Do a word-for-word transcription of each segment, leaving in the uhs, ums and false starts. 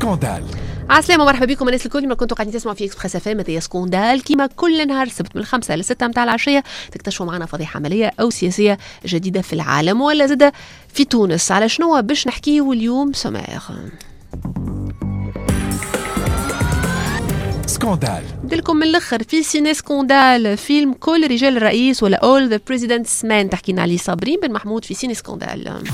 Scandale. عسلامة ومرحبا بكم الناس الكل ما كنتوا قاعدين تسمعوا في Express FM. هذايا Scandale كيما كل نهار السبت من الخمسة للستة متاع العشية، تكتشفوا معنا فضيحة عملية أو سياسية جديدة في العالم ولا زادة في تونس. على شنو باش نحكيو اليوم sommaire؟ Scandale نديلكم من الاخر في ciné scandale، فيلم كل رجال الرئيس ولا All the President's Men تحكينا عليه صابرين بن محمود في ciné scandale.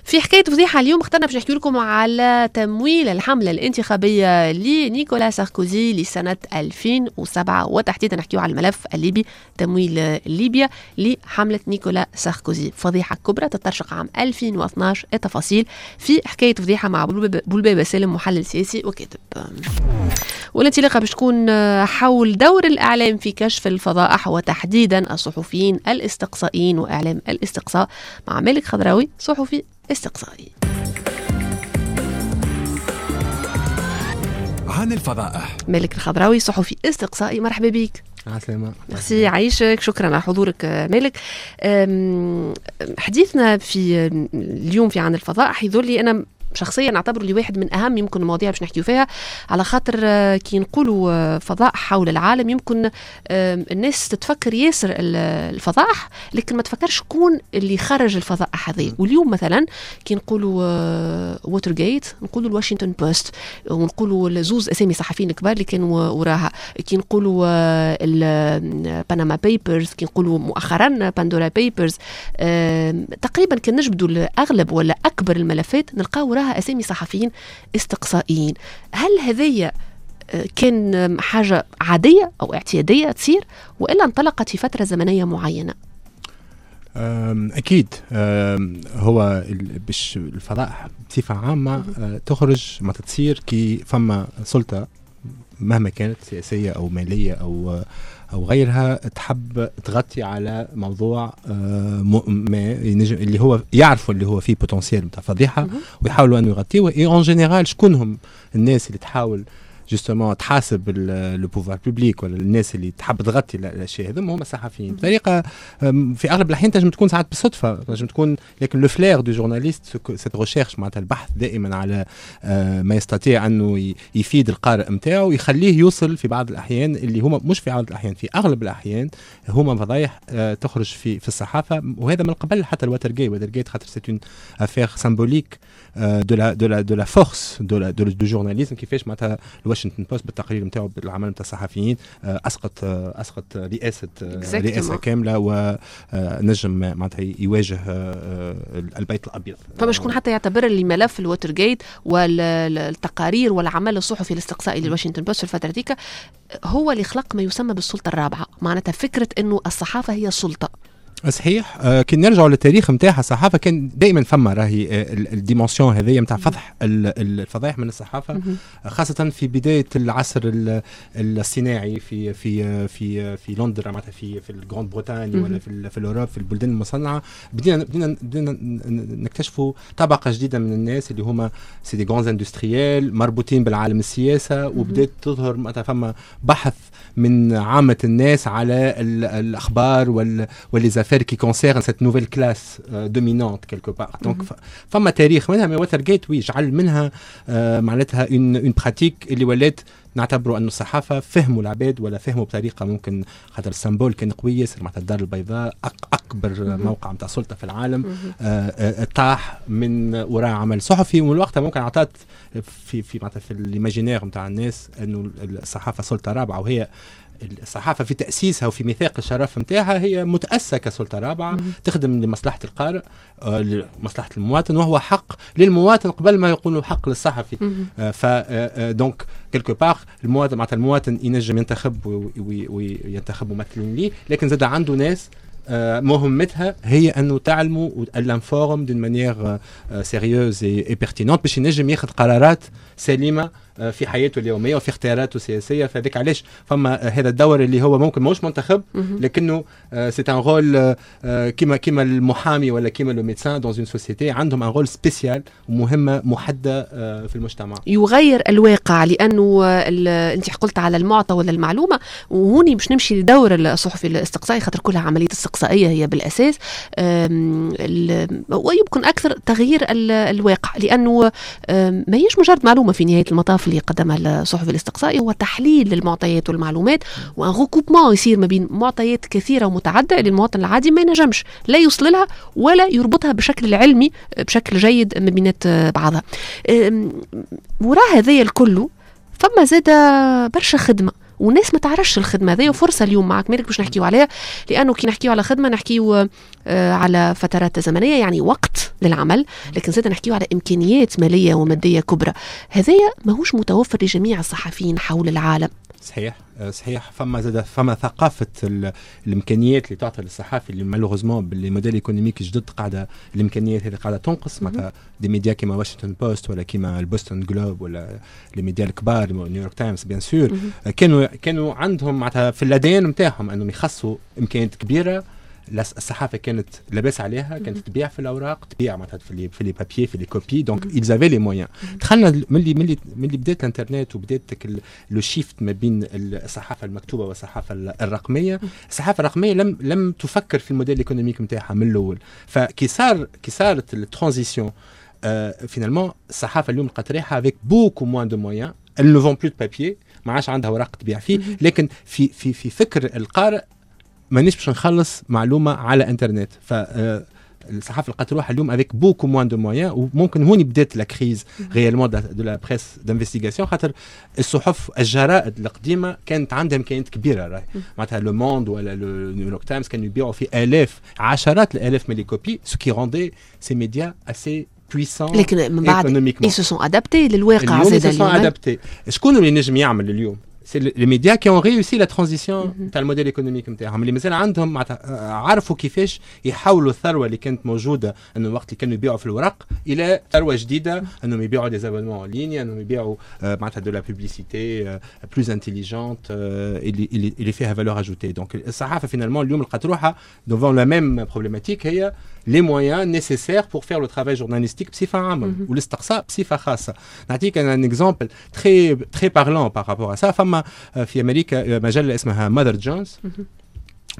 في حكاية فضيحة اليوم اخترنا باش نحكي لكم على تمويل الحملة الانتخابية لنيكولا ساركوزي لسنة ألفين وسبعة، وتحديدا نحكيو على الملف الليبي، تمويل ليبيا لحملة نيكولا ساركوزي، فضيحة كبرى تترشق عام ألفين واثناش. التفاصيل في حكاية فضيحة مع بولبابة سالم، محلل سياسي وكاتب. والانطلاقة باش تكون حول دور الإعلام في كشف الفضائح، وتحديدا الصحفيين الاستقصائيين وإعلام الاستقصاء، مع مالك خضراوي صحفي استقصائي. عن الفضائح، مالك الخضراوي صحفي استقصائي، مرحبا بك. عسلامة، ميرسي، عايشك، شكرا على حضورك مالك. حديثنا في اليوم في عن الفضائح يظل لي أنا شخصيا نعتبره لي واحد من اهم يمكن المواضيع باش نحكيو فيها، على خاطر كي نقولوا فضائح حول العالم يمكن الناس تتفكر ياسر الفضائح، لكن ما تفكرش شكون اللي خرج الفضائح هذه. واليوم مثلا كي نقولوا ووتر جيت نقولوا الواشنطن بوست، ونقولوا زوز اسامي صحفيين الكبار اللي كانوا وراها، كي نقولوا البنما بيبرز، كي نقولوا مؤخرا باندورا بيبرز، تقريبا كي نجبدوا الاغلب ولا اكبر الملفات نلقاو وراها أسامي صحفيين استقصائيين. هل هذه كان حاجة عادية أو اعتيادية تصير، وإلا انطلقت في فترة زمنية معينة؟ أكيد هو باش الفضائح بصفة عامة تخرج ما تصير كي فما سلطة مهما كانت سياسية أو مالية أو أو غيرها تحب تغطي على موضوع ما اللي هو يعرفوا اللي هو فيه potentiel نتاع فضيحة ويحاولوا أن يغطيوه. et en général شكون هم الناس اللي تحاول justement تحاسب le pouvoir public ولا الناس اللي تحب تغطي الاشياء هذوما؟ هما الصحفيين. بطريقة في اغلب الاحيان تنجم تكون ساعات بالصدفة، تنجم تكون، لكن le flair du journaliste cette recherche معناتها البحث دائما على ما يستطيع انه يفيد القارئ نتاعو ويخليه يوصل في بعض الاحيان اللي هما مش في بعض الاحيان، في اغلب الاحيان هما فضايح تخرج في في الصحافة، وهذا من قبل حتى الواتر جيت. واتر جيت خاطر c'est une affaire symbolique de la de la de la force de la du journalisme، كيفاش معناتها الواشنطن بوست بالتقرير نتاعو بالعمل نتاع الصحفيين اسقط اسقط رئاسة رئاسة كاملة ونجم معناتها يواجه البيت الابيض. فما شكون حتى يعتبر اللي ملف الواتر جيت والتقارير والعمل الصحفي الاستقصائي للواشنطن بوست في الفترة ديك هو اللي خلق ما يسمى بالسلطة الرابعة، معناتها فكرة انه الصحافة هي سلطة. صحيح. آه كي نرجعوا للتاريخ نتاعها الصحافة كان دائما فما راهي ال dimension هذيا نتاع فضح الفضائح من الصحافة، خاصة في بداية العصر الصناعي في في في في لندن معناتها في في ال Grande-Bretagne ولا في في ال Europe، في البلدان المصنعة بدينا بدينا بدينا نكتشفوا طبقه جديدة من الناس اللي هما c'est des grands industriels مربوطين بالعالم السياسة، وبدات تظهر معناتها فما بحث من عامة الناس على الاخبار وال و les affaires qui concerne cette nouvelle classe euh, dominante quelque part. Donc, فما تاريخ منها، mais واتر جيت oui جعل منها آه معناتها une une pratique اللي ولات نعتبروا أن الصحافة فهموا العباد ولا فهموا بطريقة ممكن، خاطر ال symbole كان قوي ياسر، معناتها الدار البيضاء أكبر موقع نتاع سلطة في العالم آه آه طاح من وراء عمل صحفي، ومن وقتها ممكن عطات في في معناتها في ال imaginaire نتاع الناس أنه الصحافة سلطة رابعة، وهي الصحافة في تأسيسها وفي ميثاق الشرف نتاعها هي متأسسة كسلطة رابعة تخدم لمصلحة القارئ، لمصلحة المواطن، وهو حق للمواطن قبل ما يقولوا حق للصحفي. ف donc quelque part المواطن معناتها المواطن ينجم ينتخب وينتخب ممثلين ليه، لكن زاد عنده ناس مهمتها هي انه تعلموا l'informe d'une manière sérieuse et pertinente باش ينجم ياخذ قرارات سليمة في حياته اليومية وفي اختياراته السياسيه. فهذاك علاش فما هذا الدور اللي هو ممكن ماهوش منتخب، لكنه c'est un rôle كيما كيما المحامي ولا كيما le médecin dans une société، عندهم un rôle spécial ومهمة محددة في المجتمع. يغير الواقع، لانه انت قلت على المعطى ولا المعلومه، وهوني باش نمشي لدور الصحفي الاستقصائي، خاطر كلها عملية استقصائيه هي بالاساس، ويمكن اكثر تغيير الواقع، لانه ما هيش مجرد معلومة في نهاية المطاف اللي قدمها الصحفي الاستقصائي، هو تحليل للمعطيات والمعلومات و un recoupement يصير ما بين معطيات كثيرة ومتعددة اللي المواطن العادي ما ينجمش لا يوصل لها ولا يربطها بشكل علمي بشكل جيد ما بينات بعضها. وراء هذايا الكل فما زاد برشا خدمه، وناس ما تعرفش الخدمة هذه، وفرصه اليوم معك مالك باش نحكيو عليها، لانه كي نحكيو على خدمة نحكيو آه، على فترات زمنيه، يعني وقت للعمل، لكن زاد نحكيو على امكانيات ماليه وماديه كبرى. هذايا ماهوش متوفر لجميع الصحفيين حول العالم. صحيح صحيح، فما زاد فما ثقافة الامكانيات اللي تعطى للصحافي، اللي malheureusement ب les modèles économiques جدد قاعدة الامكانيات هذه قاعدة تنقص. معناتها des médias كيما واشنطن بوست ولا كيما البوستون جلوب ولا les médias الكبار، نيويورك تايمز bien sûr، كانوا كانوا عندهم معناتها في ال ADN نتاعهم انهم يخصوا امكانيات كبيره. الصحافة كانت لاباس عليها، كانت تبيع في الاوراق، تبيع معناتها في les في les papiers، في les copies، donc ils avaient les moyens. دخلنا ملي ملي ملي بدات الانترنت وبدات le shift ما بين الصحافة المكتوبة والصحافة الرقميه، الصحافة الرقمية لم لم تفكر في ال modèle économique نتاعها من الاول. فكي صار كي صارت ال transition، finalement الصحافة اليوم لقات ريحها avec beaucoup moins de moyens، elle ne vend plus de papier، ما عادش عندها اوراق تبيع فيه، لكن في في في فكر القارئ مانيش باش نخلص معلومة على انترنت. ف آه، الصحافة لقات روحها اليوم avec beaucoup moins de moyens، وممكن هوني بدات la crise réellement de la presse d'investigation، خاطر الصحف الجرائد القديمة كانت عندها امكانيات كبيره. راهي معناتها لو موند ولا لو نيويورك تايمز كانوا يبيعوا في الاف، عشرات الالاف من les copies، ce qui rendait ces médias assez puissants. لكن من بعد ils se sont adaptés للواقع. زاد اليوم adaptés. شكون اللي نجم يعمل اليوم؟ c'est les médias qui ont réussi la transition تاع ال modèle économique نتاعهم، اللي مازال عندهم عرفوا كيفاش يحولوا الثروة اللي كانت موجودة انه وقت اللي كانوا يبيعوا في الورق الى ثروة جديده، انهم يبيعوا des abonnements en ligne، انهم يبيعوا معناتها de la publicité plus intelligente اللي اللي اللي فيها valeur ajoutée. donc الصحافة finalement اليوم لقات روحها devant la même problématique، هي les moyens nécessaires pour faire le travail journalistique بصفة عامة والاستقصاء بصفة خاصه. نعطيك un exemple très très parlant par rapport à ça. فما في امريكا مجلة اسمها ماذر جونز،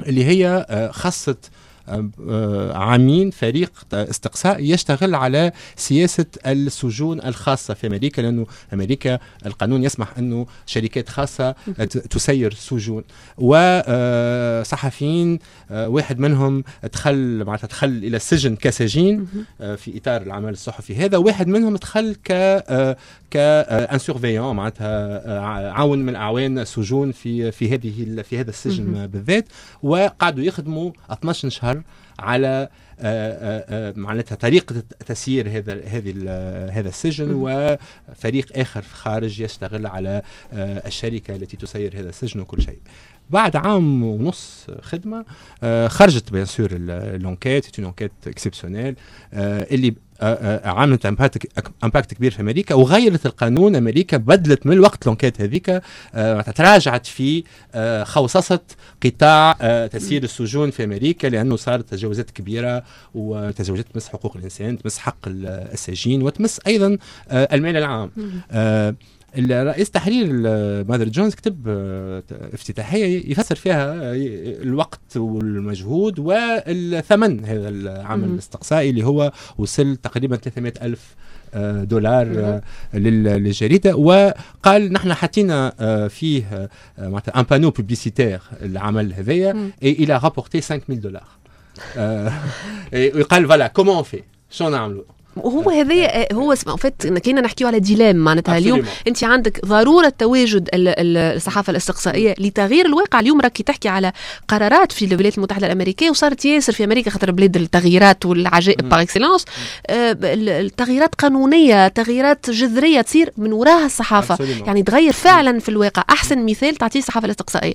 اللي هي خصت عامين فريق استقصاء يشتغل على سياسة السجون الخاصة في أمريكا، لأنه أمريكا القانون يسمح أنه شركات خاصة تسير سجون. وصحفيين، واحد منهم دخل معناتها دخل إلى السجن كسجين في إطار العمل الصحفي هذا، واحد منهم دخل ك ك un surveillant، معناتها عون من اعوان السجون في في هذه في هذا السجن بالذات. وقعدوا يخدموا اثناش شهر على آه، آه، آه، معناتها طريقة تسيير هذا هذه هذا السجن، وفريق آخر في خارج يشتغل على الشركة التي تسير هذا السجن وكل شيء. بعد عام ونص خدمة خرجت bien sûr l'enquête، une enquête exceptionnelle اللي عملت impact كبير في امريكا وغيرت القانون. امريكا بدلت من الوقت l'enquête هذيك، تراجعت في خوصصه قطاع تسيير السجون في امريكا، لانه صارت تجاوزات كبيره، وتجاوزات تمس حقوق الانسان، تمس حق السجين، وتمس ايضا المال العام. الرئيس تحرير ماذر جونز كتب آه، افتتاحيه يفسر فيها الوقت والمجهود والثمن هذا العمل الاستقصائي، اللي هو وصل تقريبا ثلاثمئة ألف آه، دولار آه، للجريده. وقال نحن حطينا فيه معناتها un panneau publicitaire العمل هذايا et il a rapporté خمسة آلاف دولار. وقال voilà comment on fait، شو نعملوا؟ وهو هذا هو en fait كاينه نحكيو على dilemme، معناتها اليوم انت عندك ضرورة تواجد الصحافة الاستقصائية لتغيير الواقع. اليوم راكي تحكي على قرارات في الولايات المتحدة الامريكيه، وصارت ياسر في امريكا خاطر بلاد التغييرات والعجائب par excellence، التغييرات قانونيه، تغييرات جذرية تصير من وراها الصحافه. Absolument. يعني تغير فعلا في الواقع. احسن مثال تعطيه الصحافة الاستقصائيه.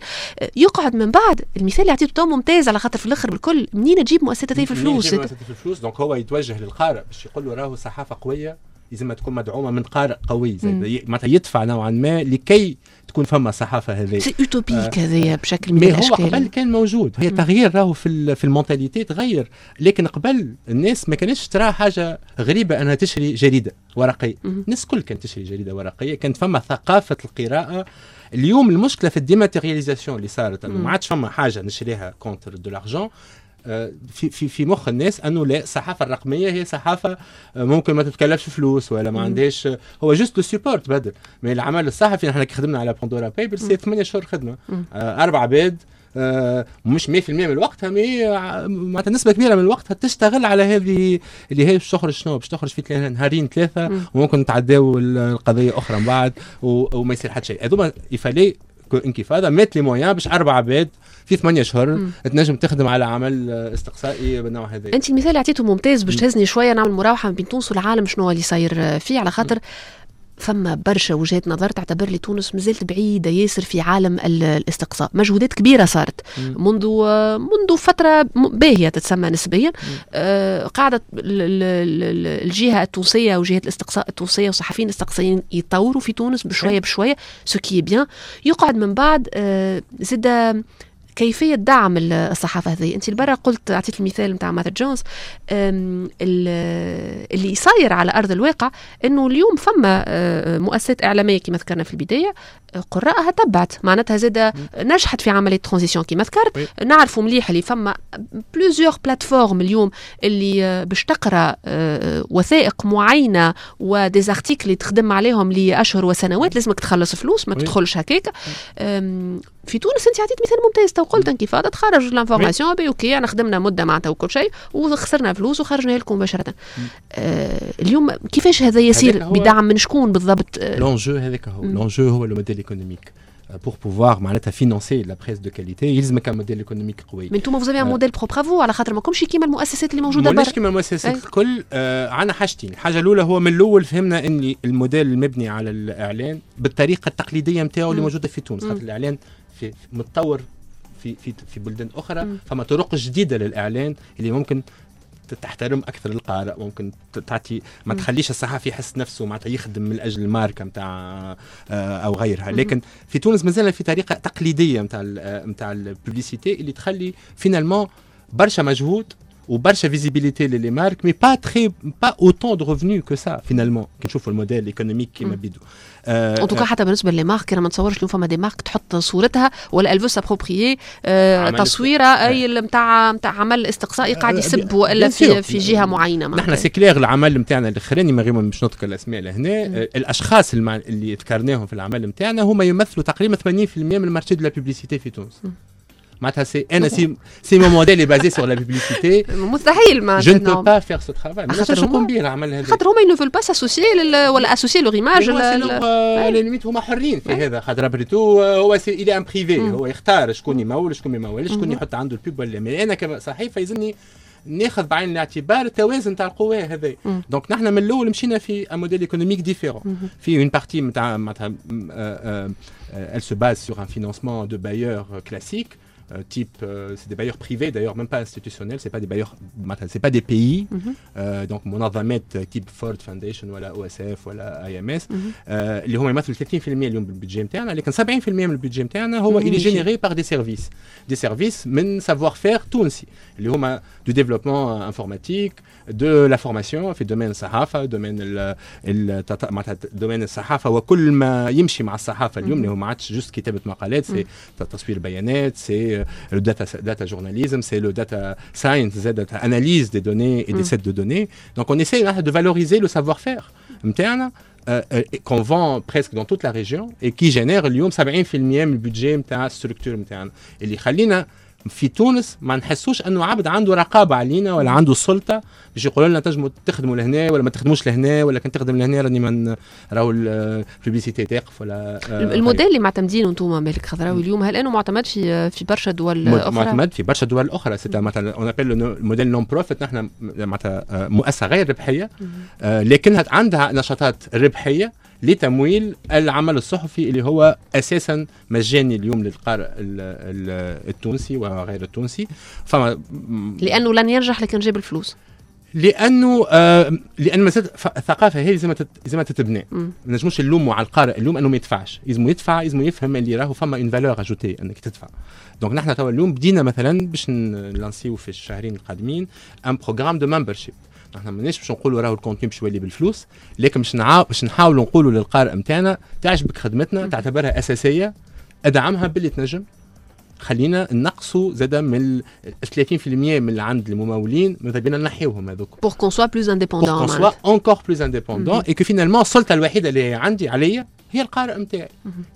يقعد من بعد المثال اللي عطيته تو ممتاز، على خاطر في الاخر بالكل منين تجيب مؤسسات في الفلوس؟ منين تجيب مؤسسات في الفلوس؟ donc هو يتوجه للقارئ باش يقول له راهو صحافة قويه. لازم تكون مدعومة من قارئ قوي، معناتها يدفع نوعا ما لكي تكون فما صحافة هذه. c'est utopique هذايا بشكل من الاشكال. هو قبل كان موجود، هي تغيير راهو في في ال mentalité تغير، لكن قبل الناس ما كانتش ترى حاجة غريبة انها تشري جريدة ورقية، الناس الكل كانت تشري جريدة ورقيه، كانت فما ثقافة القراءة. اليوم المشكلة في ال dématérialisation اللي صارت، انه ما عادش فما حاجة نشريها contre de l'argent. في في في مخ الناس انه لا، الصحافة الرقمية هي صحافة ممكن ما تتكلفش فلوس ولا ما عندهاش، هو juste le support تبدل. mais العمل الصحفي نحن كي خدمنا على Pandora Papers c'est ثمانية شهور خدمه، آه اربع عباد، آه مش مية في المية من الوقت، mais معناتها نسبه كبيرة من الوقت تشتغل على هذه اللي هي باش تخرج شنو باش تخرج في نهارين ثلاثه، وممكن نتعداو القضية اخرى من بعد وما يصير حتى شيء. هذوما il fallait Inkyfada mette les moyens باش اربع عباد في ثمانية شهور تنجم تخدم على عمل استقصائي بالنوع هذا. انت المثال اللي عطيته ممتاز باش تهزني شوية نعمل مراوحه بين تونس والعالم شنو اللي صاير فيه، على خاطر فما برشا وجهات نظر تعتبر لي تونس مازالت بعيدة ياسر في عالم الاستقصاء. مجهودات كبيرة صارت منذ منذ فترة باهية تتسمى نسبيا. آه قاعدة الجهة التونسية وجهة الاستقصاء التونسية والصحفيين الاستقصائيين يطوروا في تونس بشوية بشوية، ce qui est bien. يقعد من بعد آه زاد كيفية دعم الصحافة هذه. انت البرة قلت، اعطيت المثال نتاع Mother Jones، اللي صاير على ارض الواقع انه اليوم فما آه، مؤسسات اعلامية كما ذكرنا في البداية قراءها تبعت، معناتها زاد نجحت في عملية transition كما ذكرت. نعرفوا مليح اللي فما plusieurs plateformes اليوم اللي آه، باش تقرا آه، وثائق معينة و des articles اللي تخدم عليهم لاشهر وسنوات لازمك تخلص فلوس، ما تدخلش هكاك. في تونس انت عطيت مثال ممتاز، تو قلت Inkyfada تخرج l'information باهي، OK، انا خدمنا مده معناتها وكل شيء وخسرنا فلوس وخرجنا لكم مباشره. آه اليوم كيفاش هذا يصير؟ بدعم من شكون بالضبط؟ l'enjeu هذاك هو l'enjeu، هو le modèle économique pour pouvoir معناتها financer la presse de qualité يلزمك un modèle économique قوي. mais انتم vous avez un modèle propre à vous، على خاطر ماكمش كيما المؤسسات اللي موجودة برا. مش كيما المؤسسات الكل. آه عندنا حاجتين، الحاجة الاولى هو من الاول فهمنا ان الموديل المبني على الاعلان بالطريقة التقليدية نتاعو اللي موجودة في تونس، خاطر الاعلان في متطور في في في بلدان اخرى، فما طرق جديدة للاعلان اللي ممكن تحترم اكثر القارئ، ممكن تعطي ما تخليش الصحفي يحس نفسه معناتها يخدم من اجل الماركة نتاع آه، او غيرها. لكن في تونس مازال في طريقه تقليدية نتاع نتاع ال publicité اللي تخلي finalement برشا مجهود وبرشا visibilité les marques، mais pas très pas autant de revenus que ça finalement كي نشوفوا ال modèle économique كيما بيدو. en tout cas حتى بالنسبة les marques، انا ما نتصورش اليوم فما des marques تحط صورتها ولا elle veut s'approprier تصويره اي نتاع نتاع عمل استقصائي قاعد يسب والا في في جهة معينه. نحن c'est clair، العمل نتاعنا الاخراني، من غير ما باش نذكر الاسماء لهنا، الاشخاص اللي ذكرناهم في العمل نتاعنا هما يمثلوا تقريبا ثمانين في المية من ال marché de la publicité في تونس. معناتها c'est انا si si mon modèle est basé sur la publicité مستحيل. ما je ne peux pas faire ce travail. ما نجمش نقوم به العمل هذا. خاطر هما ne veulent pas s'associer ولا associer leur image. la limite هما حرين في هذا، خاطر après tout هو c'est il est un privé، هو يختار شكون يمول، شكون ما يمولش، شكون يحط عنده ال pub ولا. mais انا كصحيفه يلزمني ناخذ بعين الاعتبار التوازن تاع القوى هذا. donc نحن من الاول مشينا في un modèle économique différent، في une partie نتاع معناتها elle se base sur un financement de bailleurs classiques type c'est des bailleurs privés d'ailleurs، même pas institutionnels، c'est pas des bailleurs، c'est pas des pays، mm -hmm. donc منظمات type Ford Foundation ولا OSF ولا IMS اللي هما يمثلوا ثلاثين في المية اليوم بال budget نتاعنا، لكن سبعين في المية من ال budget نتاعنا هو اللي généré par des services، des services من savoir-faire تونسي اللي هما du développement informatique، de la formation في domaine الصحافه، domaine معناتها domaine الصحافة وكل ما يمشي مع الصحافة اليوم، اللي هو ما عادش juste كتابه مقالات، c'est تصوير بيانات، c'est le data data journalism، c'est le data science، data analyse des données et des sets de données. Donc on essaie de valoriser le savoir-faire نتاعنا qu'on vend presque dans toute la région et qui génère اليوم سبعين في المية من ال budget نتاع ال structure نتاعنا، اللي يخلينا في تونس ما نحسوش انه عبد عنده رقابه علينا ولا عنده سلطة باش يقولوا لنا تنجموا تخدموا لهنا ولا ما تخدموش لهنا، ولا كان تخدم لهنا راني من راهو ال publicité تقف ولا. الموديل اللي معتمدينه انتم مالك خضراوي اليوم، هل انه معتمد في في برشا دول اخرى؟ معتمد في برشا دول اخرى. c'est مثلا on appelle modèle non-profit، نحن معناتها مؤسسة غير ربحية لكنها عندها نشاطات ربحية لتمويل العمل الصحفي اللي هو اساسا مجاني اليوم للقارئ التونسي وغير التونسي. فما لانه لن ينجح لكن جاب الفلوس. لانه آه لان مازال الثقافة هذه لازم لازم تتبنى. ما نجموش نلوموا على القارئ اليوم انه ما يدفعش، لازم يدفع، لازم يفهم اللي راهو فما une valeur ajoutée انك تدفع. donc نحن توا اليوم بدينا مثلا باش نلانسيو في الشهرين القادمين un programme de membership. نحن ماناش باش نقولوا راهو ال contenu باش يولي بالفلوس، لكن باش باش نحاولوا نقولوا للقارئ نتاعنا تعجبك خدمتنا، تعتبرها اساسية، ادعمها باللي تنجم. خلينا نقصوا زادا من ثلاثين بالمية من اللي عند الممولين، ماذا بينا نحيوهم هذوك pour qu'on soit plus indépendant, pour qu'on soit encore plus indépendant et que finalement السلطة الوحيدة اللي عندي عليا هي القارئ نتاعي.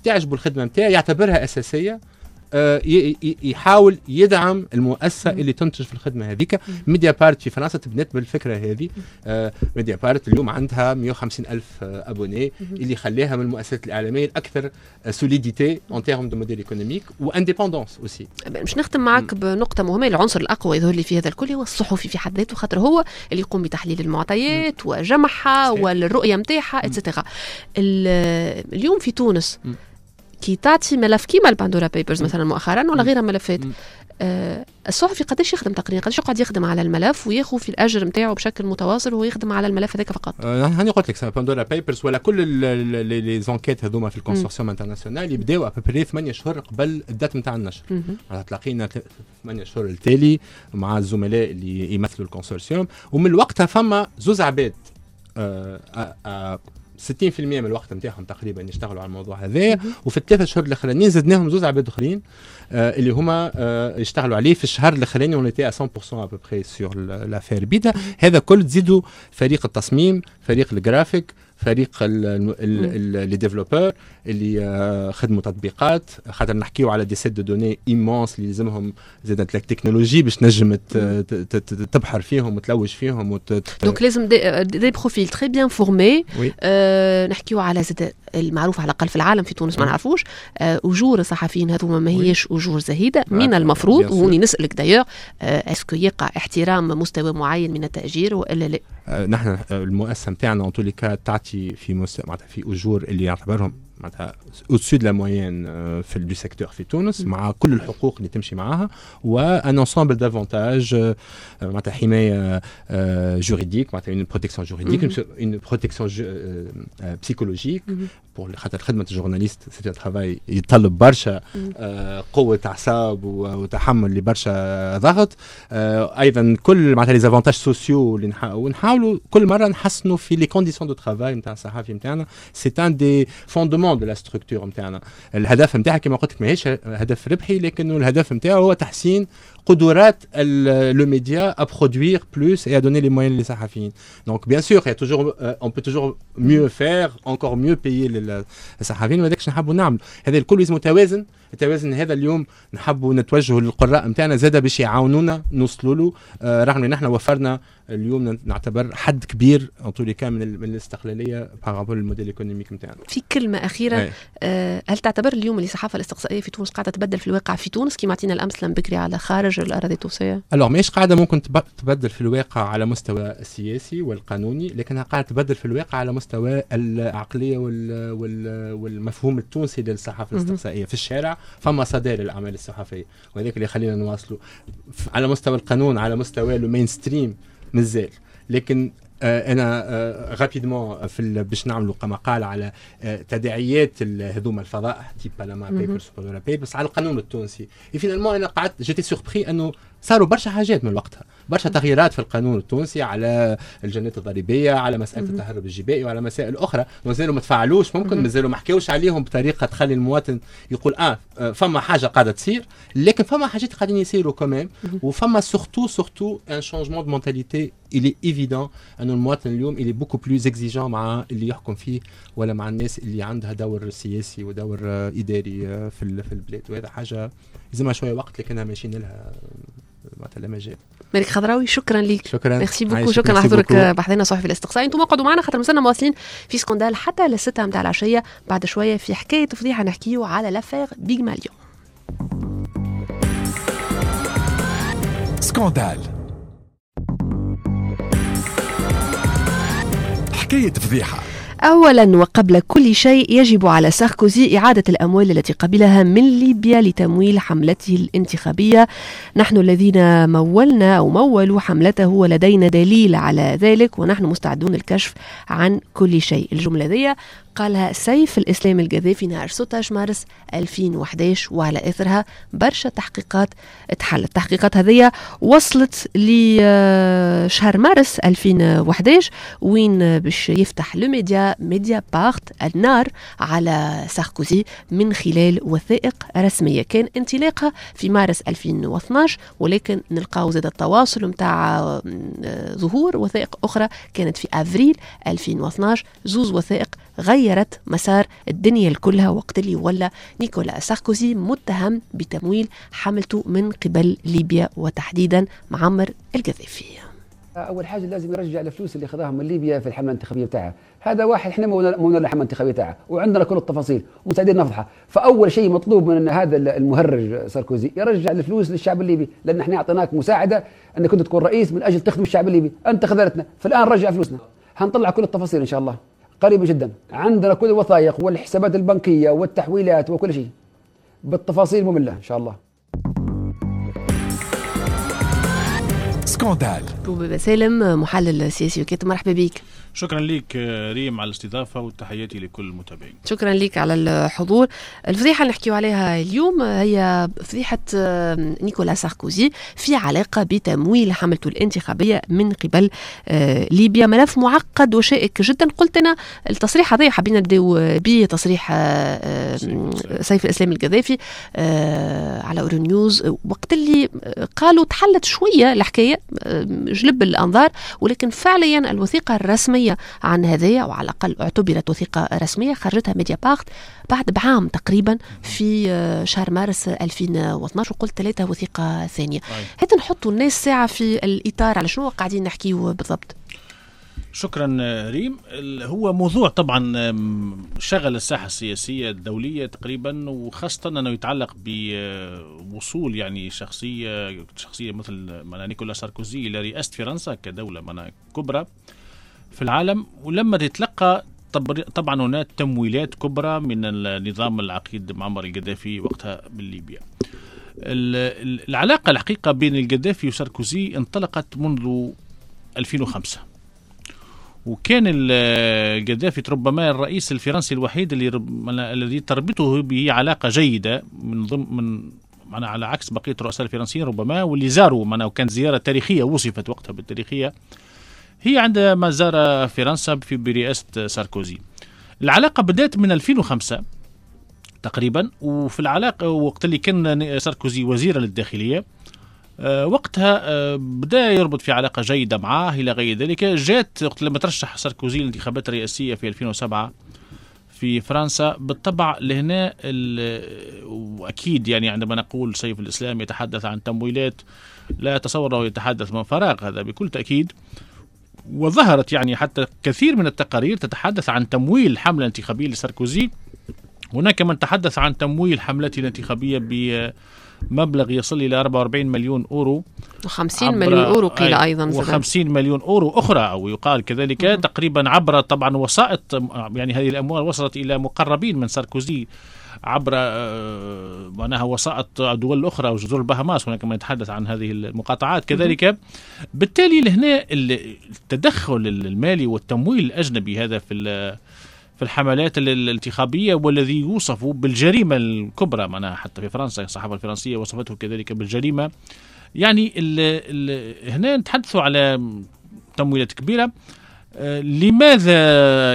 تعجبه الخدمة نتاعي، يعتبرها اساسية، يحاول يدعم المؤسسة اللي تنتج في الخدمة هذيك. ميديا بارت في فرنسا تبنت بالفكرة هذه. ميديا بارت اليوم عندها مية وخمسين ألف abonnés، اللي خليها من المؤسسات الاعلامية الاكثر solidité en termes de modèle économique و indépendance aussi. باش نختم معك بنقطة مهمة، العنصر الاقوى يظهر لي في هذا الكل هو الصحفي في حد ذاته، خاطر هو اللي يقوم بتحليل المعطيات وجمعها والرؤية نتاعها et cetera. اليوم في تونس كي تعطي ملف كيما الباندورا بيبرز مثلا مؤخرا ولا غيرها ملفات، آه الصحفي قداش يخدم تقريبا، قداش يقعد يخدم على الملف وياخذ في الاجر نتاعو بشكل متواصل وهو يخدم على الملف هذاك فقط؟ آه هاني قلت لك باندورا بيبرز ولا كل les enquêtes هذوما في ال consortium international يبداو à peu près ثمانية شهور قبل ال date نتاع النشر. تلاقينا ثمانية شهور التالي مع الزملاء اللي يمثلوا ال consortium، ومن وقتها فما زوز عباد آه آه ستين بالمية من الوقت نتاعهم تقريبا يشتغلوا على الموضوع هذا، وفي الثلاثة شهور الاخرانيين زدناهم زوز عباد اخرين آه اللي هما آه يشتغلوا عليه في الشهر الاخراني. on était مية بالمية à peu près sur l'affaire بيدا. هذا كل تزيدوا فريق التصميم، فريق الجرافيك، فريق les développeurs اللي خدموا تطبيقات، خاطر نحكيو على des sets de données immenses اللي لازمهم زادت la technologie باش تنجم تبحر فيهم وتلوج فيهم وت... donc لازم des, des profils très bien formés. نحكيو على زاد المعروف على الاقل في العالم، في تونس ما نعرفوش اجور الصحفيين هذوما ما هيش اجور زهيدة من المفروض. وهوني نسالك d'ailleurs est-ce que يقع احترام مستوى معين من التاجير والا لا؟ نحن المؤسسة نتاعنا en tous les cas تعطي في مست... معناتها في اجور اللي يعتبرهم معناتها au-dessus de la moyenne في du secteur في تونس، مع كل الحقوق اللي تمشي معاها و un ensemble d'avantages، معناتها حماية juridique، معناتها une protection juridique، une protection psychologique pour خاطر خدمة ال journaliste c'est un travail يتطلب برشا قوة اعصاب وتحمل لبرشا ضغط. ايضا كل معناتها les avantages sociaux اللي ونحاولوا كل مرة نحسنوا في les conditions de travail نتاع الصحفي نتاعنا. c'est un des fondements de la structure نتاعنا. الهدف نتاعها كما قلت لك ماهيش هدف ربحي، لكنه الهدف نتاعو هو تحسين قدرات le média à produire plus et à donner les moyens للصحفيين. donc bien sûr y a toujours on peut toujours mieux faire, encore mieux payer الصحفيين، وهذاك نحبوا نعملوا. هذا الكل لازم متوازن. التوازن هذا اليوم نحبوا نتوجهوا للقراء نتاعنا زاده باش يعاونونا نوصلوا له، آه رغم ان احنا وفرنا اليوم نعتبر حد كبير en tous les cas من, من الاستقلالية par rapport ال modèle économique نتاعنا. في كلمة اخيرة، آه هل تعتبر اليوم اللي الصحافة الاستقصائية في تونس قاعدة تبدل في الواقع في تونس كما عطينا الامثلة بكري على خارج الاراضي التونسية؟ alors ماهيش قاعدة ممكن تبدل في الواقع على مستوى السياسي والقانوني، لكنها قاعدة تبدل في الواقع على مستوى العقلية وال وال والمفهوم التونسي للصحافة الاستقصائية. في الشارع فما صدى للاعمال الصحفية، وهذاك اللي خلينا نواصلوا على مستوى القانون، على مستوى ال mainstream مازال. لكن آه انا آه rapidement في باش نعملوا مقال على آه تداعيات هذوما الفضائح type بنما بيبرز وباندورا بيبرز على القانون التونسي. finalement انا قعدت j'étais surpris انه صاروا برشا حاجات من وقتها، برشا تغييرات في القانون التونسي على الجنات الضريبية، على مسالة التهرب الجبائي، وعلى مسائل اخرى مازالوا ما تفعلوش، ممكن مازالوا ما حكاوش عليهم بطريقة تخلي المواطن يقول اه فما حاجة قاعدة تصير، لكن فما حاجات قاعدين يصيروا quand même. وفما surtout surtout un changement de mentalité. il est évident انه المواطن اليوم il est beaucoup plus exigeant مع اللي يحكم فيه ولا مع الناس اللي عندها دور سياسي ودور اداري في في البلاد، وهذا حاجة لازمها شوية وقت لكنها ماشيين لها معناتها لا مجال. مالك خضراوي شكرا لك، شكرا merci beaucoup، شكرا على حضورك بحذنا صحفي الاستقصائي. انتم اقعدوا معنا خاطر مازلنا مواصلين في scandale حتى للستة نتاع العشية. بعد شوية في حكاية فضيحة نحكيو على l'affaire بيغماليون. scandale حكاية فضيحة. أولا وقبل كل شيء يجب على ساركوزي إعادة الأموال التي قبلها من ليبيا لتمويل حملته الانتخابية. نحن الذين مولنا أو مولوا حملته ولدينا دليل على ذلك ونحن مستعدون للكشف عن كل شيء. الجملة دي قالها سيف الإسلام القذافي نهار ستة عشر مارس ألفين وأحد عشر، وعلى إثرها برشا تحقيقات تحلت. التحقيقات هذه وصلت لشهر مارس ألفين وأحد عشر وين باش يفتح le média Mediapart النار على ساركوزي من خلال وثائق رسمية كان انطلاقها في مارس ألفين واثناش، ولكن نلقاو زاد التواصل متاع ظهور وثائق أخرى كانت في أفريل ألفين واثناش. زوز وثائق غيرت مسار الدنيا كلها وقت اللي ولا نيكولا ساركوزي متهم بتمويل حملته من قبل ليبيا وتحديدا معمر القذافي. اول حاجة لازم يرجع الفلوس اللي خذاها من ليبيا في الحملة الانتخابية بتاعها. هذا واحد احنا مولنا الحملة الانتخابية تاعها وعندنا كل التفاصيل ومستعدين نفضحها. فاول شيء مطلوب من هذا المهرج ساركوزي يرجع الفلوس للشعب الليبي، لان احنا اعطيناك مساعدة انك كنت تكون رئيس من اجل تخدم الشعب الليبي، انت خذلتنا، فالان رجع فلوسنا. هنطلع كل التفاصيل ان شاء الله قريبا جدا، عندنا كل الوثائق والحسابات البنكية والتحويلات وكل شيء بالتفاصيل مملة ان شاء الله. scandale. بوبا سالم محلل سياسي وكاتب، مرحبا بك. شكرا لك ريم على الاستضافة وتحياتي لكل المتابعين. شكرا لك على الحضور. الفضيحة اللي نحكيو عليها اليوم هي فضيحة نيكولا ساركوزي في علاقة بتمويل حملته الانتخابية من قبل ليبيا، ملف معقد وشائك جدا. قلت أنا التصريح هذا حابين نبداو به، تصريح سيف الإسلام القذافي على أورونيوز وقت اللي قالوا تحلت شوية الحكاية، جلب الأنظار، ولكن فعليا الوثيقة الرسمية عن هذايا وعلى الأقل اعتبرت وثيقة رسمية خرجتها ميديا بارت بعد بعام تقريبا في شهر مارس ألفين واثناش، وقلت ثلاثة وثيقة ثانية. هات نحطوا الناس ساعة في الإطار على شنو قاعدين نحكيو بالضبط. شكرا ريم. هو موضوع طبعا شغل الساحة السياسية الدولية تقريبا، وخاصة أنه يتعلق بوصول يعني شخصية شخصية مثل نيكولا ساركوزي إلى رئاسة فرنسا كدولة كبرى في العالم، ولما تتلقى طبعا هناك تمويلات كبرى من النظام العقيد معمر القذافي وقتها بالليبيا. العلاقة الحقيقة بين القذافي وساركوزي انطلقت منذ ألفين وخمسة، وكان القذافي ربما الرئيس الفرنسي الوحيد اللي رب... الذي تربطه به علاقة جيدة من ضمن من معنا على عكس بقية الرؤساء الفرنسيين ربما، واللي زاروا معنا وكانت زيارة تاريخية وصفت وقتها بالتاريخية هي عندما زار فرنسا في برئاسة ساركوزي. العلاقة بدأت من ألفين وخمسة تقريبا، وفي العلاقة وقت اللي كان ساركوزي وزيرا للداخلية وقتها بدأ يربط في علاقة جيدة معاه إلى غير ذلك. جاءت وقت لما ترشح ساركوزي للانتخابات الرئاسية في ألفين وسبعة في فرنسا، بالطبع لهنا وأكيد يعني عندما نقول سيف الإسلام يتحدث عن تمويلات لا أتصور يتحدث من فراغ، هذا بكل تأكيد. وظهرت يعني حتى كثير من التقارير تتحدث عن تمويل حملة انتخابية لساركوزي. هناك من تحدث عن تمويل حملته الانتخابية بمبلغ يصل إلى أربعة وأربعين مليون أورو، وخمسين مليون أورو قيل أيضا، وخمسين مليون أورو أخرى أو يقال كذلك مم. تقريبا عبر طبعا وسائط، يعني هذه الأموال وصلت إلى مقربين من ساركوزي عبر معناها وسائط دول أخرى وجزر البهاماس، هناك من يتحدث عن هذه المقاطعات كذلك. بالتالي لهنا التدخل المالي والتمويل الأجنبي هذا في في الحملات الانتخابية، والذي يوصف بالجريمة الكبرى معناها حتى في فرنسا الصحافة الفرنسية وصفته كذلك بالجريمة. يعني ال ال هنا نتحدث على تمويلات كبيرة. لماذا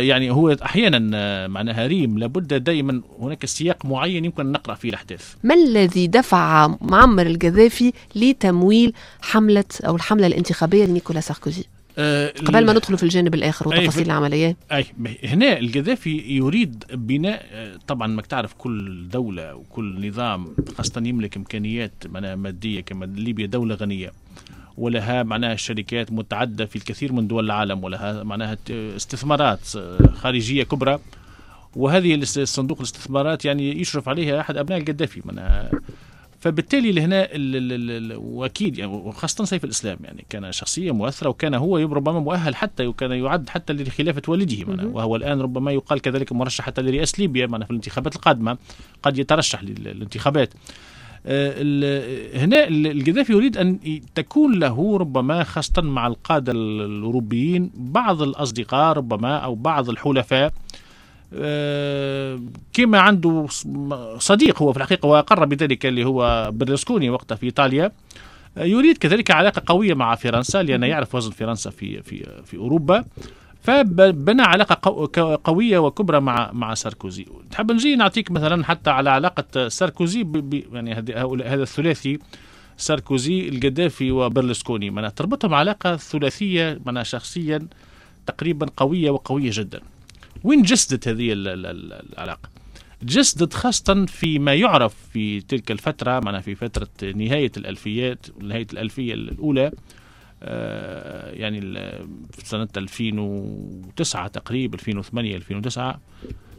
يعني هو أحيانا معناها ريم لابد دائما هناك سياق معين يمكن أن نقرأ فيه الأحداث. ما الذي دفع معمر القذافي لتمويل حملة أو الحملة الانتخابية لنيكولا ساركوزي؟ أه قبل ما ندخل في الجانب الآخر وتفاصيل العملية. أي هنا القذافي يريد بناء، طبعا ما تعرف كل دولة وكل نظام خاصة يملك إمكانيات مادية كما ليبيا دولة غنية ولها معناها شركات متعددة في الكثير من دول العالم، ولها معناها استثمارات خارجية كبرى، وهذه الصندوق الاستثمارات يعني يشرف عليها أحد أبناء القذافي معناها. فبالتالي لهنا واكيد يعني وخاصة سيف الاسلام يعني كان شخصية مؤثرة، وكان هو ربما مؤهل حتى وكان يعد حتى لخلافه والده معنا، وهو الان ربما يقال كذلك مرشح حتى لرئاسة ليبيا معنا في الانتخابات القادمة، قد يترشح للانتخابات. هنا القذافي يريد أن تكون له ربما خاصة مع القادة الأوروبيين بعض الأصدقاء ربما أو بعض الحلفاء، كما عنده صديق هو في الحقيقة وأقر بذلك اللي هو برلسكوني وقتها في إيطاليا، يريد كذلك علاقة قوية مع فرنسا لأنه يعرف وزن فرنسا في في في أوروبا، فبنى علاقة قوية وكبرى مع مع ساركوزي. تحب نجي نعطيك مثلا حتى على علاقة ساركوزي ب يعني هذا الثلاثي ساركوزي القذافي وبرلسكوني، معناها تربطهم علاقة ثلاثية معناها شخصيا تقريبا قوية وقوية جدا. وين جسدت هذه العلاقة؟ جسدت خاصة فيما يعرف في تلك الفترة معناها في فترة نهاية الألفيات، نهاية الألفية الأولى، يعني في سنة ألفين وتسعة تقريبا، ألفين وثمانية ألفين وتسعة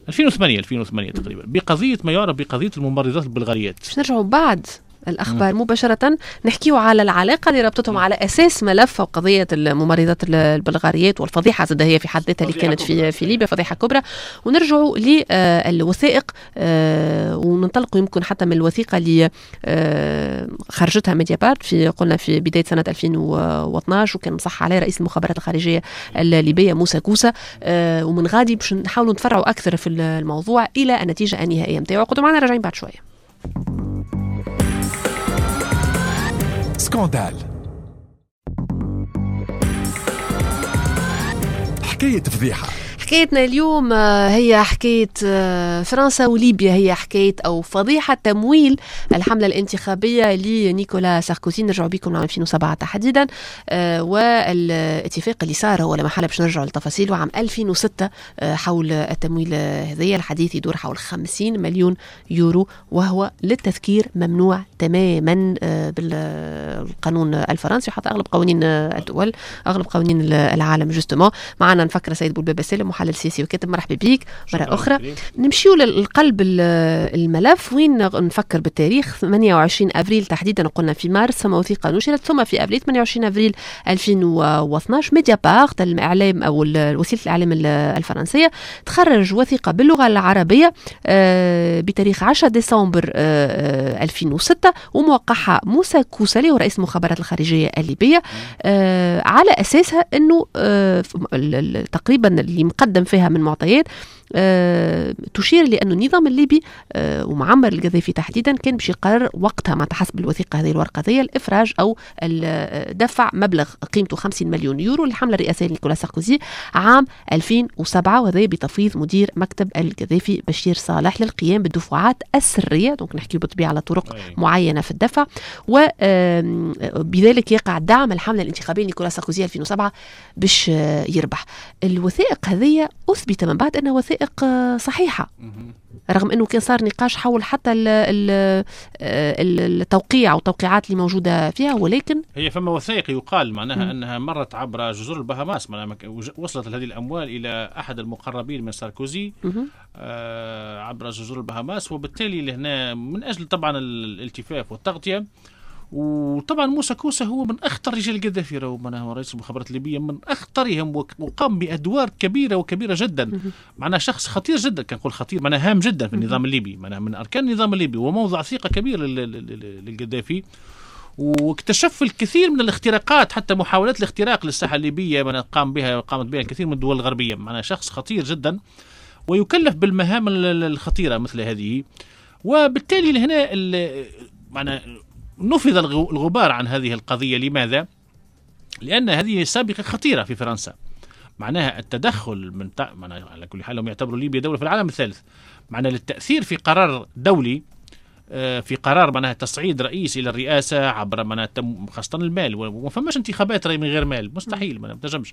ألفين وثمانية ألفين وثمانية تقريبا، بقضية ما يعرف بقضية الممرضات البلغاريات. باش نرجعوا بعد الأخبار مباشرة نحكيو على العلاقة اللي ربطتهم على أساس ملف وقضية الممرضات البلغاريات والفضيحة زاد هي في حد ذاتها اللي كانت في في ليبيا، فضيحة كبرى. ونرجعوا للوثائق وننطلقوا يمكن حتى من الوثيقة اللي خرجتها ميديابارت في قلنا في بداية سنة ألفين واثناش، وكان مصح عليه رئيس المخابرات الخارجية الليبية موسى كوسة، ومن غادي باش نحاولوا نتفرعوا أكثر في الموضوع إلى النتيجة النهائية نتاعو. قعدوا معنا راجعين بعد شوية. scandale، حكاية فضيحة. حكايتنا اليوم هي حكاية فرنسا وليبيا، هي حكاية أو فضيحة تمويل الحملة الانتخابية لنيكولا ساركوزي. نرجع بكم لعام ألفين وسبعة تحديدا، والاتفاق اللي صار هو لما حالة باش نرجع للتفاصيل وعام ألفين وستة حول التمويل هذايا. الحديث يدور حول خمسين مليون يورو، وهو للتذكير ممنوع تماما بالقانون الفرنسي وحتى أغلب قوانين الدول، أغلب قوانين العالم justement. معنا نفكر سيد بولبابة سالم، محلل سياسي وكاتب، مرحبا بيك مرة أخرى. نمشيو للقلب الملف وين نفكر بالتاريخ ثمانية وعشرين أفريل تحديدا، قلنا في مارس ثم وثيقة نشرت، ثم في أفريل ثمانية وعشرين أفريل ألفين واثناش ميديابارت الإعلام أو وسيلة الإعلام الفرنسية تخرج وثيقة باللغة العربية بتاريخ عشرة ديسمبر ألفين وستة وموقعها موسى كوسالي ورئيس المخابرات الخارجية الليبية، على أساسها أنه تقريبا اللي مقدم فيها من معطيات أه تشير لأن النظام الليبي أه ومعمر القذافي تحديدا كان باش يقرر وقتها مع حسب الوثيقة هذه الورقة هذه الإفراج أو دفع مبلغ قيمته خمسين مليون يورو للحملة الرئاسية لنيكولا ساركوزي عام ألفين وسبعة، وهذا بتفويض مدير مكتب القذافي بشير صالح للقيام بالدفعات السرية. donc نحكي بالطبيعة على طرق أي. معينة في الدفع، وبذلك يقع دعم الحملة الانتخابية لنيكولا ساركوزي ألفين وسبعة باش يربح. الوثائق هذه أثبت من بعد أنها وثائق صحيحة، رغم أنه كان صار نقاش حول حتى التوقيع والتوقيعات اللي موجودة فيها، ولكن هي فما وثائق يقال معناها أنها مرت عبر جزر البهاماس، معناها وصلت هذه الأموال إلى أحد المقربين من ساركوزي آه عبر جزر البهاماس، وبالتالي لهنا من أجل طبعا الالتفاف والتغطية. وطبعا موسى كوسة هو من أخطر رجال القذافي، هو رئيس المخابرات الليبية من أخطرهم، وقام بأدوار كبيرة وكبيرة جدا، معناه شخص خطير جدا، كان نقول خطير معناه هام جدا في النظام الليبي، معناه من أركان النظام الليبي وموضع ثقة كبير للقذافي، واكتشف الكثير من الاختراقات، حتى محاولات الاختراق للساحة الليبية معناه قام بها قامت بها الكثير من الدول الغربية، معناه شخص خطير جدا ويكلف بالمهام الخطيرة مثل هذه. وبالتالي لهنا معناه نفذ الغبار عن هذه القضية. لماذا؟ لأن هذه سابقة خطيرة في فرنسا، معناها التدخل من تع... معناها على كل حال هم يعتبروا ليبيا دولة في العالم الثالث، معناها للتأثير في قرار دولي، في قرار معناها تصعيد رئيس إلى الرئاسة عبر معناها خاصة المال، وما فماش انتخابات من غير مال، مستحيل، ما تنجمش،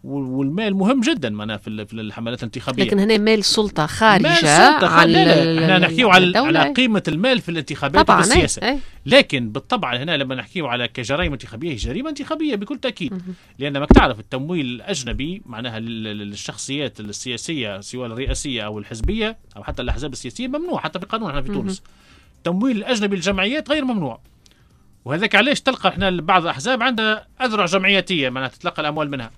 والمال مهم جدا معناها في الحملات الانتخابية. لكن هنا مال سلطة خارجه مال سلطة عن احنا نحكيو على على قيمة المال في الانتخابات وفي السياسة، لكن بالطبع هنا لما نحكيو على كجرائم انتخابية هي جريمة انتخابية بكل تاكيد، لان ما تعرف التمويل الاجنبي معناها للشخصيات السياسية سواء الرئاسية او الحزبية او حتى الاحزاب السياسية ممنوع حتى في القانون احنا في تونس. التمويل الأجنبي للجمعيات غير ممنوع، وهذاك علاش تلقى احنا بعض الأحزاب عندها أذرع جمعياتية معناها تتلقى الأموال منها.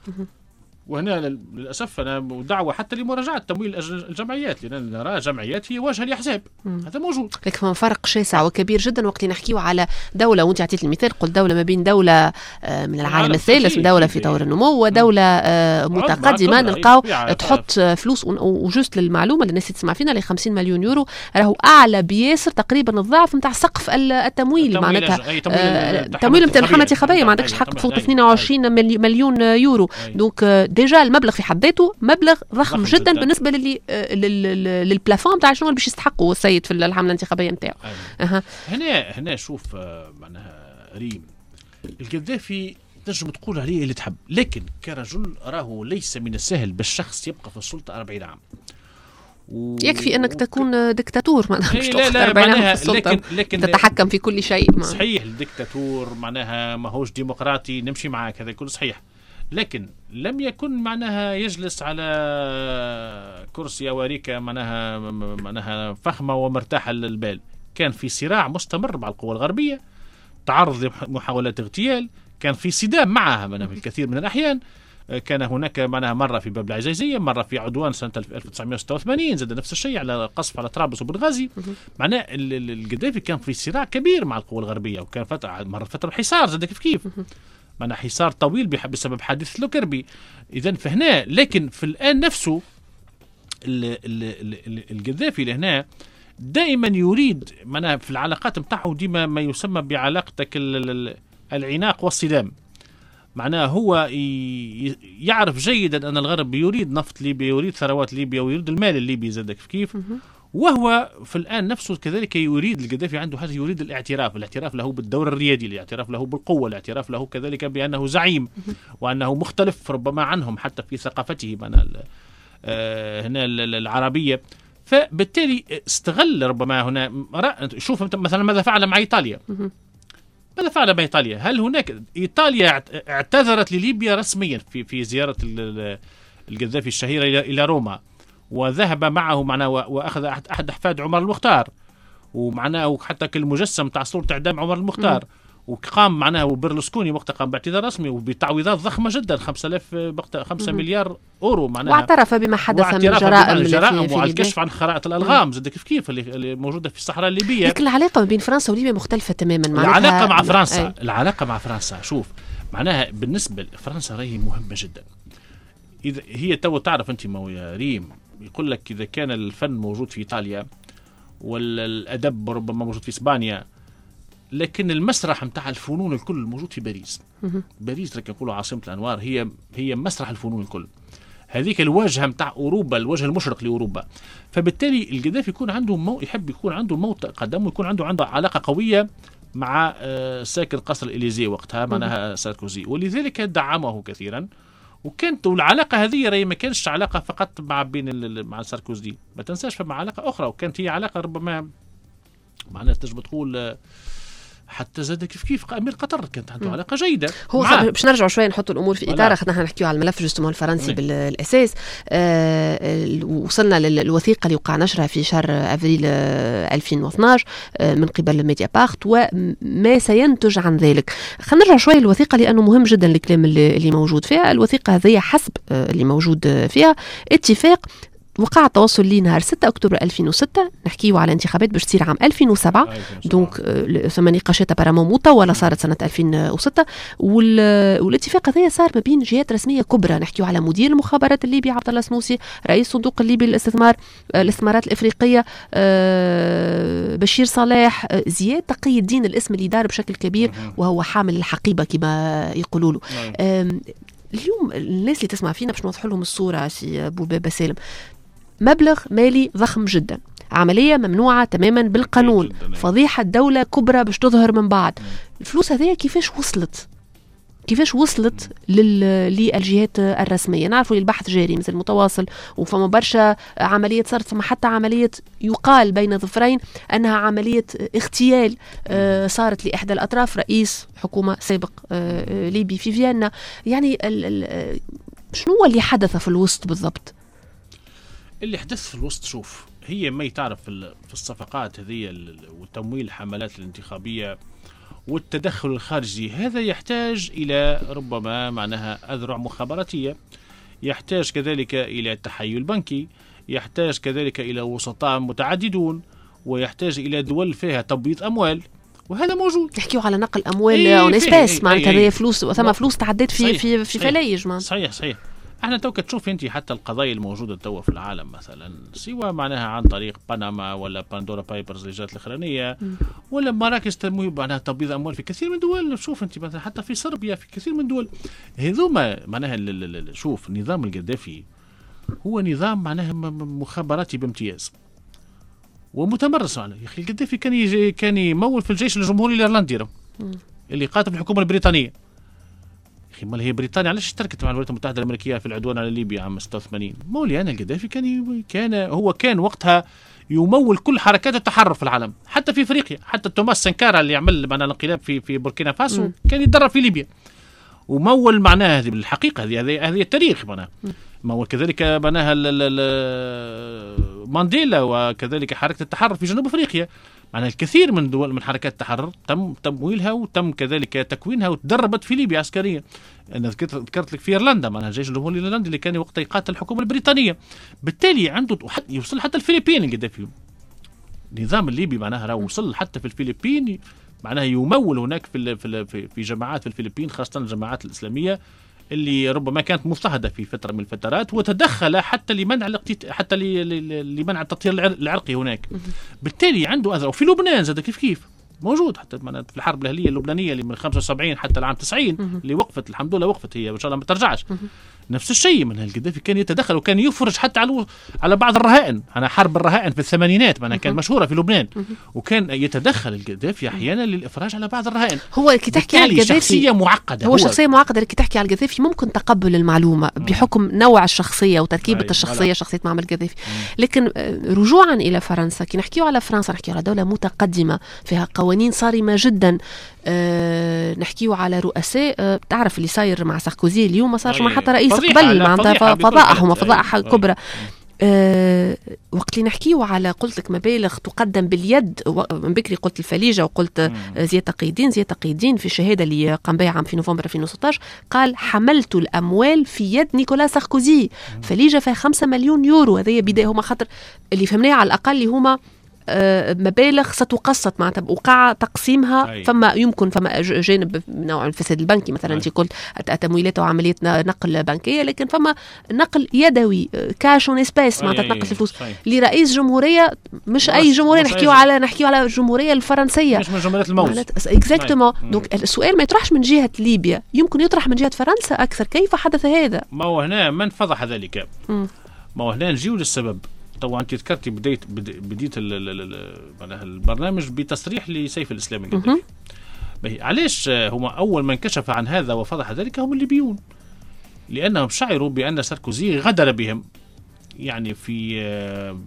وهنا للأسف أنا دعوة حتى لمراجعة تمويل الجمعيات، لأن نرى جمعيات هي واجهة لأحزاب، هذا موجود. لكن فرق شاسع وكبير جدا وقت نحكيو على دولة، وأنت عطيت المثال قلت دولة ما بين دولة من العالم الثالث، دولة في طور النمو، ودولة متقدمة، نلقاو تحط فلوس. و juste للمعلومة للناس اللي تسمع فينا، ل خمسين مليون يورو راهو أعلى بياسر تقريبا الضعف نتاع سقف التمويل، معناتها التمويل نتاع الحملة الانتخابية ما عندكش حق تفوت اثنين وعشرين مليون يورو. donc déjà المبلغ في حد ذاته مبلغ ضخم جدا, جداً بالنسبة للي لل plafond تاع شنو باش يستحقوا السيد في الحملة الانتخابية نتاعو. أه. هنا هنا شوف معناها ريم، القذافي تنجم تقول عليه اللي تحب، لكن كرجل راهو ليس من السهل بالشخص يبقى في السلطة أربعين عام. و... يكفي انك تكون دكتاتور معناها مش تاخذ أربعين عام في السلطة، لكن لكن تتحكم في كل شيء. صحيح الدكتاتور معناها ماهوش ديمقراطي، نمشي معاك هذا كله صحيح، لكن لم يكن معناها يجلس على كرسي أو أريكة معناها معناها فخمة ومرتاحة للبال. كان في صراع مستمر مع القوى الغربية، تعرض لمحاولات اغتيال، كان في صدام معها معناها في الكثير من الأحيان. كان هناك معناها مرة في باب العزيزية، مرة في عدوان سنة ألف وتسعمائة وستة وثمانين زاد نفس الشيء على قصف على طرابلس وبنغازي. معناه القذافي كان في صراع كبير مع القوى الغربية، وكان فترة مرة فترة حصار زاد كيف كيف معناها حصار طويل بسبب حادث لوكربي. إذن فهنا، لكن في الآن نفسه القذافي لهنا دائما يريد معناها في العلاقات متاعه ديما ما يسمى بعلاقتك العناق والصدام. معناه هو يعرف جيدا أن الغرب يريد نفط ليبيا، يريد ثروات ليبيا، ويريد المال الليبي زاد كيف كيف، وهو في الآن نفسه كذلك يريد القذافي عنده حاجة، يريد الاعتراف، الاعتراف له بالدور الريادي، الاعتراف له بالقوة، الاعتراف له كذلك بأنه زعيم وأنه مختلف ربما عنهم حتى في ثقافته معناها هنا العربية. فبالتالي استغل ربما هنا. شوف مثلا ماذا فعل مع إيطاليا، ماذا فعل مع إيطاليا؟ هل هناك إيطاليا اعتذرت لليبيا رسميا في في زيارة القذافي الشهيرة إلى روما، وذهب معه معناه واخذ احد احفاد عمر المختار، ومعناه حتى كالمجسم تاع صوره اعدام عمر المختار، وقام معناه وبرلسكوني وقتها قام باعتذار رسمي وبتعويضات ضخمة جدا، خمسة آلاف خمسة مليار اورو معناها، واعترف بما حدث من جرائم الجرائم وعلى الكشف عن خرائط الالغام زاد كيف كيف اللي موجودة في الصحراء الليبية. لكن العلاقة بين فرنسا وليبيا مختلفة تماما. معناها العلاقة مع فرنسا، العلاقة مع فرنسا شوف معناها بالنسبة لفرنسا راهي مهمة جدا. اذا هي تو تعرف انت ما يا ريم، يقول لك إذا كان الفن موجود في إيطاليا والأدب ربما موجود في إسبانيا، لكن المسرح متاع الفنون الكل موجود في باريس. باريس لك يقولوا عاصمة الأنوار، هي هي مسرح الفنون الكل، هذيك الواجهة متاع أوروبا، الوجه المشرق لأوروبا. فبالتالي القذافي يكون عنده مو يحب يكون عنده موطئ قدم، ويكون عنده عنده علاقة قوية مع ساكن قصر الإليزي وقتها معناها ساركوزي، ولذلك دعمه كثيرا. وكانت العلاقة هذه راهي ما كانش علاقة فقط مع بين مع ساركوزي، ما تنساش فما علاقة أخرى، وكانت هي علاقة ربما معناها تنجم تقول حتى زاد كيف كيف امير قطر كانت عنده علاقة جيدة. هو باش نرجعوا شوية نحطوا الامور في اطار، خاطر نحن نحكيو على الملف justement الفرنسي بالاساس. آه وصلنا للوثيقه اللي وقع نشرها في شهر افريل ألفين واثناش آه من قبل ميديا بارت وما سينتج عن ذلك. خلينا نرجع شوية للوثيقه لانه مهم جدا الكلام اللي, اللي موجود فيها. الوثيقة هذه حسب آه اللي موجود فيها اتفاق وقع التواصل لي نهار ستة أكتوبر ألفين وستة، نحكيو على انتخابات باش تصير عام ألفين وسبعة، donc ثم نقاشات apparemment مطولة صارت سنة ألفين وستة، والاتفاق هذا صار ما بين جهات رسمية كبرى، نحكيو على مدير المخابرات الليبي عبد الله السنوسي، رئيس صندوق الليبي للاستثمار الاستثمارات الافريقية بشير صلاح، زياد تقي الدين الاسم اللي دار بشكل كبير وهو حامل الحقيبة كما يقولوا له. اليوم الناس اللي تسمع فينا باش نوضح لهم الصورة سي بوبابة سالم، مبلغ مالي ضخم جدا، عملية ممنوعة تماما بالقانون، فضيحة دولة كبرى باش تظهر من بعد. الفلوس هذه كيفاش وصلت؟ كيفاش وصلت لل... للجهات الرسمية؟ نعرفوا البحث جاري مثل متواصل، وفما برشا عملية صارت، فما حتى عملية يقال بين ظفرين أنها عملية اغتيال آه صارت لإحدى الأطراف، رئيس حكومة سابق آه ليبي في فيينا. يعني ال... ال... شنو اللي حدث في الوسط بالضبط؟ اللي حدث في الوسط، شوف، هي ما تعرف في الصفقات هذه وتمويل الحملات الانتخابية والتدخل الخارجي، هذا يحتاج إلى ربما معناها أذرع مخابراتية، يحتاج كذلك إلى تحيل بنكي، يحتاج كذلك إلى وسطاء متعددون، ويحتاج إلى دول فيها تبييض أموال، وهذا موجود. تحكيوا على نقل اموال en espèces، معناتها هذه فلوس، ثم فلوس تعدت في في في فلايج. صحيح صحيح. احنا توك تشوف انت حتى القضايا الموجودة توا في العالم مثلا، سواء معناها عن طريق بنما ولا باندورا بايبرز اللي جات الاخرانية، ولا مراكز تمويل معناها تبييض اموال في كثير من الدول. شوف انت مثلا حتى في صربيا، في كثير من الدول هذوما معناها. شوف النظام القذافي هو نظام معناها مخابراتي بامتياز ومتمرس. عليه يا اخي القذافي كان يجي كان يمول في الجيش الجمهوري الايرلندي اللي قاتل الحكومة البريطانية. يا اخي مال هي بريطانيا علاش اشتركت مع الولايات المتحدة الامريكية في العدوان على ليبيا عام ستة وثمانين؟ مولي انا القذافي كان ي... كان هو كان وقتها يمول كل حركات التحرر في العالم، حتى في افريقيا، حتى توماس سانكارا اللي عمل معنا الانقلاب في في بوركينا فاسو كان يتدرب في ليبيا ومول معناها. هذه بالحقيقة هذه هذه التاريخ معناها. مول كذلك معناها مانديلا وكذلك حركة التحرر في جنوب افريقيا. معناها الكثير من دول من حركات التحرر تم تمويلها وتم كذلك تكوينها وتدربت في ليبيا عسكريا. انا ذكرت ذكرت لك في ايرلندا معناها الجيش الجمهوري الايرلندي اللي كان وقتها يقاتل الحكومة البريطانية. بالتالي عنده يوصل حتى الفلبين القذافي. النظام الليبي معناها راه وصل حتى في الفلبين، معناها يمول هناك في في في جماعات في الفلبين، خاصة الجماعات الاسلامية اللي ربما كانت مضطهده في فترة من الفترات، وتدخل حتى لمنع حتى لمنع التطهير العرقي هناك. بالتالي عنده أذرع. وفي لبنان زاد كيف كيف موجود، حتى في الحرب الاهلية اللبنانية اللي من خمسة وسبعين حتى العام تسعين اللي وقفت الحمد لله، وقفت هي وان شاء الله ما ترجعش. نفس الشيء من القذافي كان يتدخل وكان يفرج حتى على على بعض الرهائن. انا حرب الرهائن في الثمانينات معناها كانت مشهورة في لبنان، وكان يتدخل القذافي احيانا للافراج على بعض الرهائن. هو كي تحكي على القذافي شخصية معقدة، هو, هو شخصية معقدة. كي تحكي على القذافي ممكن تقبل المعلومة بحكم نوع الشخصية وتركيبه الشخصية، شخصية معمر القذافي. لكن رجوعا الى فرنسا، كي نحكيو على فرنسا نحكيو على دولة متقدمة فيها قوانين صارمة جدا. أه نحكيو على رؤساء، أه تعرف اللي صاير مع ساركوزي اليوم ما صارش مع حتى رئيس قبل، معناتها فضائح وفضائح كبرى. أه وقت اللي نحكيو على قلت لك مبالغ تقدم باليد، من بكري قلت الفليجه وقلت زياد تقي الدين. زياد تقي الدين في الشهادة اللي قام بها عام في نوفمبر ألفين وستة عشر قال حملت الاموال في يد نيكولا ساركوزي. فليجه فيها خمسة مليون يورو. هذه بداية، هما خاطر اللي فهمناه على الاقل اللي هما مبالغ ستقسط معناتها وقع تقسيمها. أي. فما يمكن فما جانب نوع الفساد البنكي مثلا، انت قلت تمويلات وعملية نقل بنكيه، لكن فما نقل يدوي cash en espèces معناتها تنقل الفلوس لرئيس جمهورية، مش اي جمهورية، نحكيو على نحكيو على الجمهورية الفرنسية، مش من جمهورية الموز exactement. donc السؤال ما يطرحش من جهة ليبيا، يمكن يطرح من جهة فرنسا اكثر، كيف حدث هذا؟ ما هو هنا من فضح ذلك؟ ما هو هنا نجيو للسبب. طبعا انت ذكرتي بديت بديت معناها البرنامج بتصريح لسيف الاسلام القذافي. علاش هما اول من كشف عن هذا وفضح ذلك هم الليبيون؟ لانهم شعروا بان ساركوزي غدر بهم، يعني في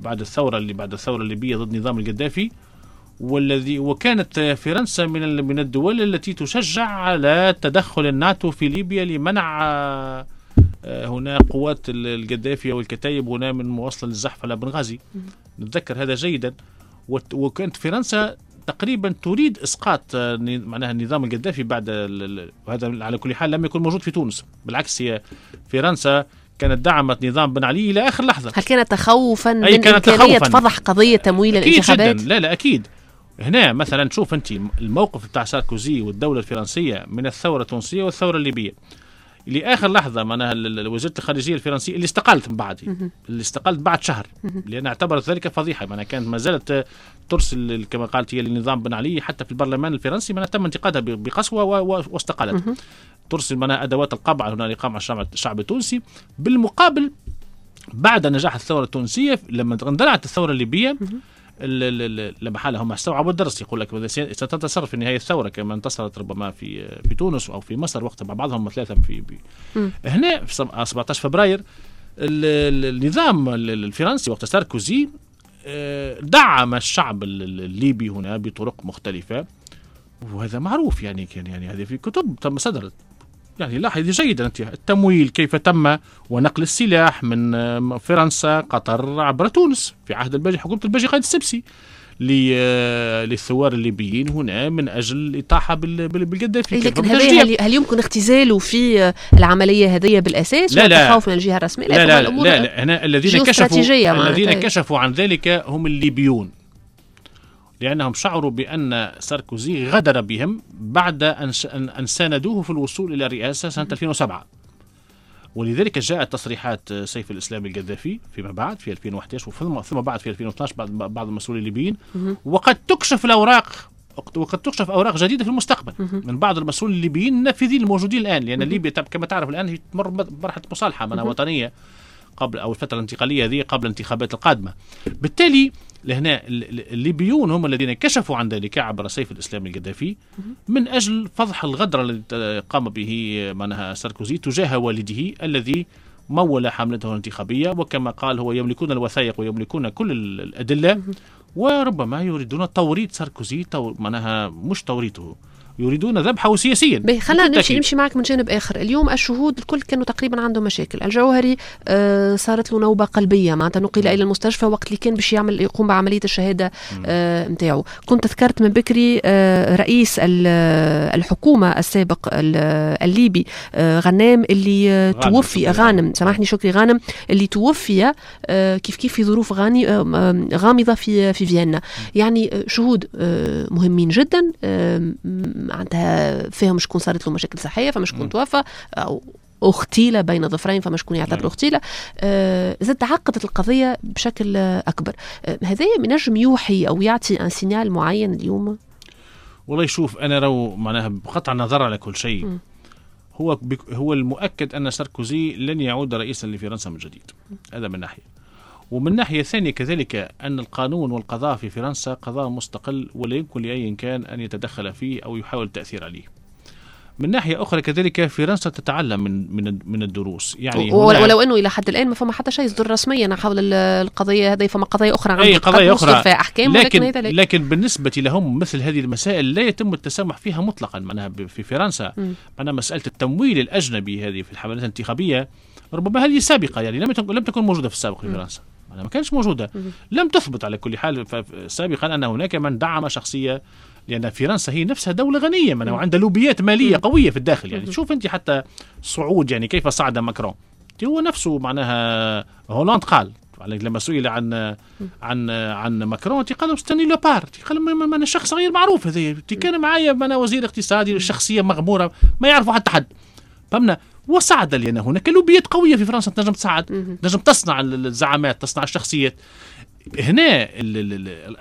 بعد الثورة اللي بعد الثورة الليبية ضد نظام القذافي، والذي وكانت فرنسا من من الدول التي تشجع على تدخل الناتو في ليبيا لمنع هنا قوات القذافي والكتايب هنا من مواصلة للزحف على بنغازي. نتذكر هذا جيدا. وكانت فرنسا تقريبا تريد اسقاط معناها النظام القذافي بعد، وهذا على كل حال لم يكن موجود في تونس، بالعكس هي فرنسا كانت دعمت نظام بن علي الى اخر لحظة. هل كان تخوفا من امكانية فضح قضية تمويل الانتخابات؟ جداً. لا لا اكيد. هنا مثلا شوف انت الموقف بتاع ساركوزي والدولة الفرنسية من الثورة التونسية والثورة الليبية لاخر لحظة. معناها وزيره الخارجية الفرنسية اللي استقالت من بعد، اللي استقالت بعد شهر لان اعتبرت ذلك فضيحة، معناها كانت ما زالت ترسل كما قالت هي للنظام بن علي حتى في البرلمان الفرنسي، معناها تم انتقادها بقسوه واستقالت. ترسل معناها ادوات القمع هنا لقمع الشعب التونسي. بالمقابل بعد نجاح الثورة التونسية لما اندلعت الثورة الليبية، لما حالة هم استوعبوا الدرس، يقول لك ستنتصر في النهاية الثورة كما انتصرت ربما في في تونس او في مصر وقت مع بعضهم ثلاثة في بي. هنا في سبعة عشر فبراير النظام الفرنسي وقت ساركوزي دعم الشعب الليبي هنا بطرق مختلفة، وهذا معروف يعني، كان يعني هذه في كتب تم صدرت. يعني لاحظ جيدا أنت التمويل كيف تم ونقل السلاح من فرنسا قطر عبر تونس في عهد الباجي، حكومة الباجي قائد السبسي، للثوار الليبيين هنا من أجل الإطاحة بالقذافي. لكن هل, هل يمكن اختزاله في العملية هذه بالأساس؟ لا لا، التخوف من الجهة الرسمية؟ لا لا لا, لا, لا. هنا الذين كشفوا الذين كشفوا عن ذلك هم الليبيون، لأنهم شعروا بأن ساركوزي غدر بهم بعد أن ساندوه في الوصول إلى الرئاسة سنة ألفين وسبعة، ولذلك جاءت تصريحات سيف الإسلام القذافي فيما بعد في ألفين وأحد عشر وثم بعد في ألفين واثني عشر بعد بعض المسؤولين الليبيين، وقد تكشف الأوراق وقد تكشف أوراق جديدة في المستقبل من بعض المسؤولين الليبيين النافذين الموجودين الآن، لأن ليبيا كما تعرف الآن هي تمر بمرحلة مصالحة منها وطنية قبل أو الفترة الانتقالية هذه قبل الانتخابات القادمة. بالتالي لهنا الليبيون هم الذين كشفوا عن ذلك عبر سيف الإسلام القذافي من أجل فضح الغدر الذي قام به معناها ساركوزي تجاه والده الذي مول حملته الانتخابية، وكما قال هو يملكون الوثائق ويملكون كل الأدلة، وربما يريدون توريط ساركوزي، معناها مش توريطه، يريدون ذبحه سياسيا. خلينا نمشي نمشي معك من جانب اخر. اليوم الشهود الكل كانوا تقريبا عندهم مشاكل. الجوهري آه صارت له نوبه قلبية، معناتها نقل الى المستشفى وقت اللي كان باش يعمل يقوم بعملية الشهادة نتاعو. آه كنت ذكرت من بكري آه رئيس الحكومة السابق الليبي آه غنام اللي توفي، غانم سامحني شكري غانم اللي توفي آه كيف كيف في ظروف غاني آه غامضة في في فيينا. يعني شهود آه مهمين جدا، آه معناتها فيهم شكون صارت له مشاكل صحية، فما شكون توفى او اغتيل بين ظفرين، فما شكون يعتبر اغتيل. آه زاد تعقدت القضية بشكل اكبر. آه هذا ينجم يوحي او يعطي un signal معين اليوم؟ والله شوف، انا رو معناها بقطع النظر على كل شيء، م. هو هو المؤكد ان ساركوزي لن يعود رئيسا لفرنسا من جديد، هذا من ناحية. ومن ناحية ثانية كذلك أن القانون والقضاء في فرنسا قضاء مستقل ولا يمكن لأي كان أن يتدخل فيه أو يحاول التأثير عليه. من ناحية أخرى كذلك فرنسا تتعلم من من من الدروس، يعني ولو أنه إلى حد الآن ما فما حتى شيء يصدر رسميا حول القضية هذه، فما قضايا أخرى أي قضايا أخرى فيها أحكام، لكن لكن, لكن بالنسبة لهم مثل هذه المسائل لا يتم التسامح فيها مطلقا. معناها في فرنسا معناها مسألة التمويل الأجنبي هذه في الحملات الانتخابية ربما هذه سابقة، يعني لم لم تكن موجودة في السابق في فرنسا، ما كانش موجودة، لم تثبت على كل حال سابقا أن هناك من دعم شخصية، لأن فرنسا هي نفسها دولة غنية وعندها لوبيات مالية قوية في الداخل. يعني تشوف أنت حتى صعود، يعني كيف صعد ماكرون، هو نفسه معناها هولاند قال لما سئل عن عن عن ماكرون قال c'est un nullopare، قال ما انا شخص غير معروف، هذا كان معايا انا وزير اقتصادي شخصية مغمورة ما يعرفوا حتى حد، فهمنا. وصعد لأن هناك لوبيات قوية في فرنسا تنجم تصعد، تنجم تصنع الزعامات، تصنع الشخصيات. هنا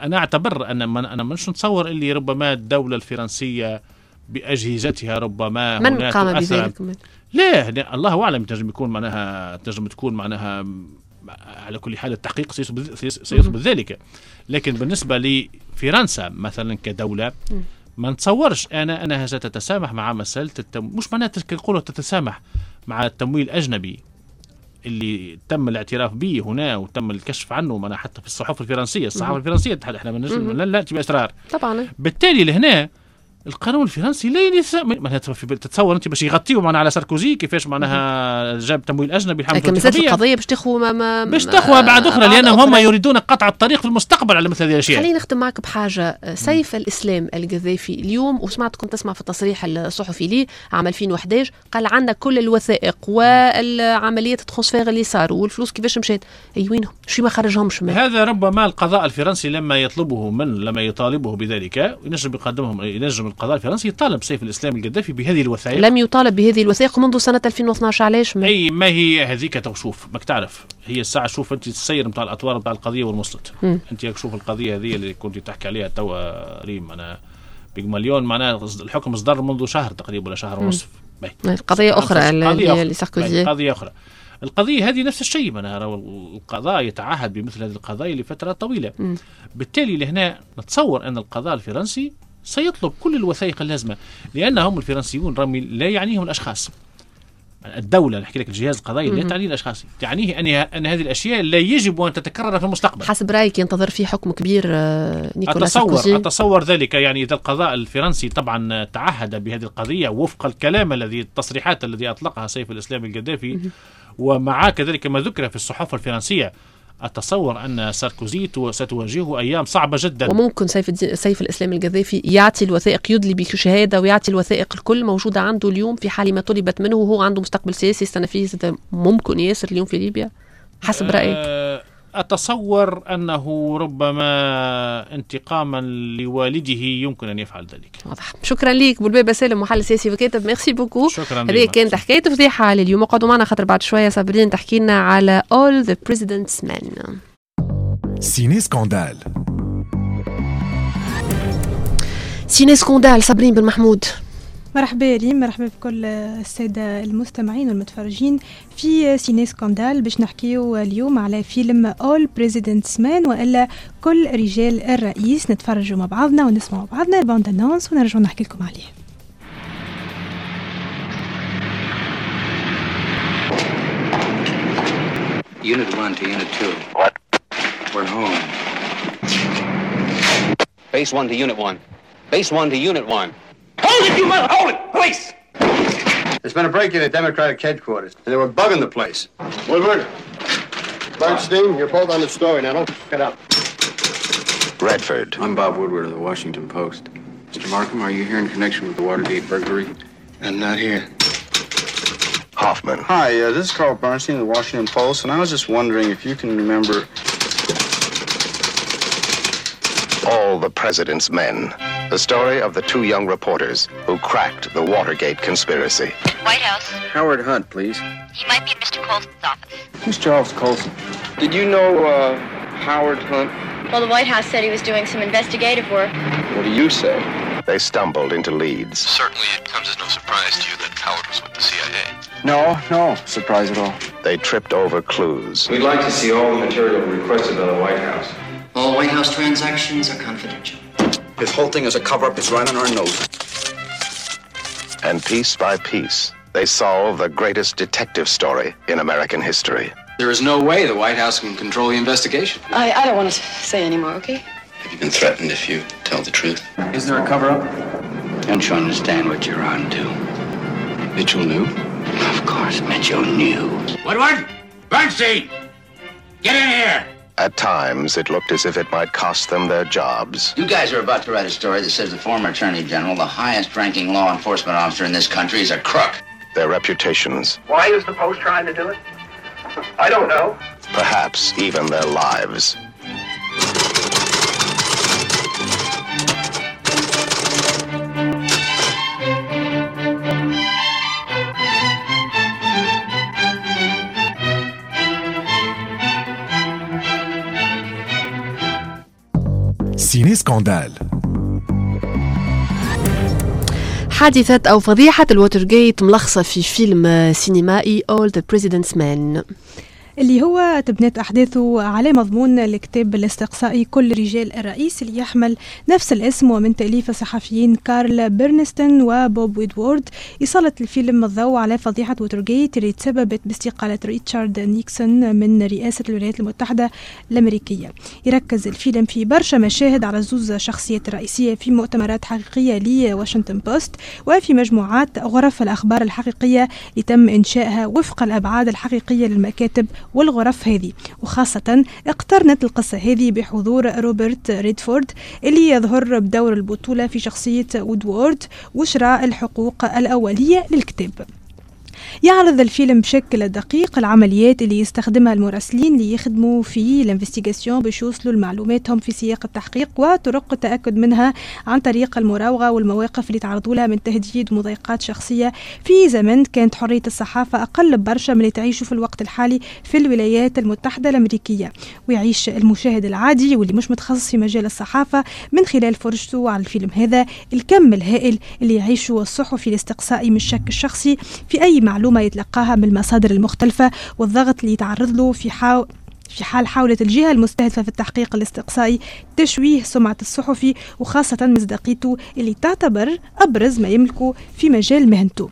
أنا أعتبر أن أنا مش نتصور اللي ربما الدولة الفرنسية بأجهزتها ربما من قام بذلك؟ لا الله أعلم، تنجم يكون معناها تنجم تكون معناها على كل حال التحقيق سيثبت ذلك. لكن بالنسبة لفرنسا مثلا كدولة ما نتصورش أنا أنها ستتسامح مع مسألة التم... مش معناها نقولوا تتسامح مع التمويل الأجنبي اللي تم الاعتراف به هنا وتم الكشف عنه، معناها حتى في الصحف الفرنسية، الصحافة الفرنسية احنا لا نأتي بأسرار طبعا. بالتالي لهنا القانون الفرنسي لا يسامح، تتصور انت باش يغطيوا معنا على ساركوزي كيفاش معناها جاب تمويل اجنبي الحمد لله. لكن مازالت القضية باش تاخذ ما ما باش تاخذ بعد اخرى، لانهم هم يريدون قطع الطريق في المستقبل على مثل هذه الاشياء. خليني نختم معك بحاجة. سيف الاسلام القذافي اليوم، وسمعت كنت تسمع في التصريح الصحفي ليه عام ألفين وأحد عشر، قال عندنا كل الوثائق والعملية ال transfert اللي صاروا والفلوس كيفاش مشات، اي وينهم؟ شو ما خرجهمش من. هذا ربما القضاء الفرنسي لما يطلبه من لما يطالبه بذلك ينجم يقدمهم، ينجم القضاء الفرنسي يطالب سيف الإسلام القذافي بهذه الوثائق. لم يطالب بهذه الوثائق منذ سنة ألفين واثني عشر. علاش؟ ما أي ما هي هذيك شوف ماك تعرف هي الساعة، شوف أنت السير نتاع الأطوار نتاع القضية والمسلط. أنت شوف القضية هذه اللي كنت تحكي عليها توا ريم، أنا بيغماليون معناها الحكم صدر منذ شهر تقريبا ولا شهر ونصف. قضية أخرى اللي ساركوزي، قضية أخرى. القضية هذه نفس الشيء، معناها القضاء يتعهد بمثل هذه القضايا لفترة طويلة. م. بالتالي لهنا نتصور أن القضاء الفرنسي سيطلب كل الوثائق اللازمة، لأنهم الفرنسيون رمي لا يعنيهم الأشخاص، الدولة، نحكي لك الجهاز القضائي لا تعنيه الأشخاص، تعنيه أن أن هذه الأشياء لا يجب أن تتكرر في المستقبل. حسب رأيك ينتظر فيه حكم كبير نيكولا أتصور ساركوزي؟ أتصور ذلك. يعني إذا القضاء الفرنسي طبعا تعهد بهذه القضية وفق الكلام الذي التصريحات الذي أطلقها سيف الإسلام القذافي، ومع كذلك ما ذكر في الصحف الفرنسية، أتصور أن ساركوزي ستواجهه أيام صعبة جدا. وممكن سيف, سيف الإسلام القذافي يعطي الوثائق، يدلي بشهادة ويعطي الوثائق الكل موجودة عنده اليوم في حال ما طلبت منه، وهو عنده مستقبل سياسي يستنى فيه، ممكن ياسر اليوم في ليبيا حسب رأيك؟ أتصور أنه ربما انتقاما لوالده يمكن أن يفعل ذلك. واضح. شكرا لك بولبابة سالم، محلل سياسي وكاتب، merci beaucoup. شكرا. هذه كانت حكاية فضيحة لليوم. اقعدوا معنا خاطر بعد شوية صابرين تحكي لنا على All the President's Men. Ciné Scandale. Ciné Scandale، صابرين بن محمود. مرحبا ريم، مرحبا بكل السادة المستمعين والمتفرجين في Ciné Scandale. باش نحكيو اليوم على فيلم All President's Men وإلا كل رجال الرئيس. نتفرجوا مع بعضنا ونسمعوا بعضنا ال bande-annonce ونرجعوا نحكي لكم عليه. Unit one to Unit two. What? We're home. Base one to Unit one. Base one to Unit one. Hold it, you mother! Hold it! Police! There's been a break-in at Democratic headquarters, and they were bugging the place. Woodward, Bernstein, you're both on the story now. Don't f*** it up. Redford. I'm Bob Woodward of the Washington Post. Mister Markham, are you here in connection with the Watergate burglary? I'm not here. Hoffman. Hi, uh, this is Carl Bernstein of the Washington Post, and I was just wondering if you can remember... All the President's Men. The story of the two young reporters who cracked the Watergate conspiracy. White House. Howard Hunt, please. He might be in Mister Colson's office. Who's Charles Colson? Did you know uh, Howard Hunt? Well, the White House said he was doing some investigative work. What do you say? They stumbled into leads. Certainly it comes as no surprise to you that Howard was with the C I A. No, no surprise at all. They tripped over clues. We'd like to see all the material requested by the White House. All White House transactions are confidential. This whole thing is a cover-up. It's right on our nose. And piece by piece, they solve the greatest detective story in American history. There is no way the White House can control the investigation. I, I don't want to say anymore, okay? Have you been threatened if you tell the truth? Is there a cover-up? Don't you understand what you're on to? Mitchell knew? Of course, Mitchell knew. Woodward! Bernstein! Get in here! At times, it looked as if it might cost them their jobs. You guys are about to write a story that says the former attorney general, the highest-ranking law enforcement officer in this country, is a crook. Their reputations. Why is the Post trying to do it? I don't know. Perhaps even their lives. Ciné Scandale. حادثة أو فضيحة الواترغيت ملخصة في فيلم سينمائي All the President's Men، اللي هو تبنت أحداثه على مضمون الكتاب الاستقصائي كل رجال الرئيس اللي يحمل نفس الاسم، ومن تأليف الصحفيين كارل بيرنستين وبوب ويدوارد. يسلط الفيلم الضوء على فضيحة ووترغيت اللي تسببت باستقالة ريتشارد نيكسون من رئاسة الولايات المتحدة الأمريكية. يركز الفيلم في برشا مشاهد على زوز شخصيات رئيسية في مؤتمرات حقيقية لواشنطن بوست وفي مجموعات غرف الأخبار الحقيقية اللي تم إنشائها وفق الأبعاد الحقيقية للمكاتب والغرف هذه. وخاصة اقترنت القصة هذه بحضور روبرت ريدفورد اللي يظهر بدور البطولة في شخصية وودوارد وشراء الحقوق الأولية للكتاب. يعرض الفيلم بشكل دقيق العمليات اللي يستخدمها المراسلين اللي يخدموا في ال investigation باش يوصلوا لمعلوماتهم في سياق التحقيق وطرق التأكد منها عن طريق المراوغة والمواقف اللي تعرضوا لها من تهديد ومضايقات شخصية في زمن كانت حرية الصحافة أقل برشا من اللي تعيشه في الوقت الحالي في الولايات المتحدة الأمريكية. ويعيش المشاهد العادي واللي مش متخصص في مجال الصحافة من خلال فرجته على الفيلم هذا الكم الهائل اللي يعيشه الصحفي الاستقصائي من الشك الشخصي في أي معلومة يتلقاها من المصادر المختلفة والضغط اللي يتعرض له في حال في حال حاولت الجهة المستهدفة في التحقيق الاستقصائي تشويه سمعة الصحفي وخاصة مصداقيته اللي تعتبر أبرز ما يملكه في مجال مهنته.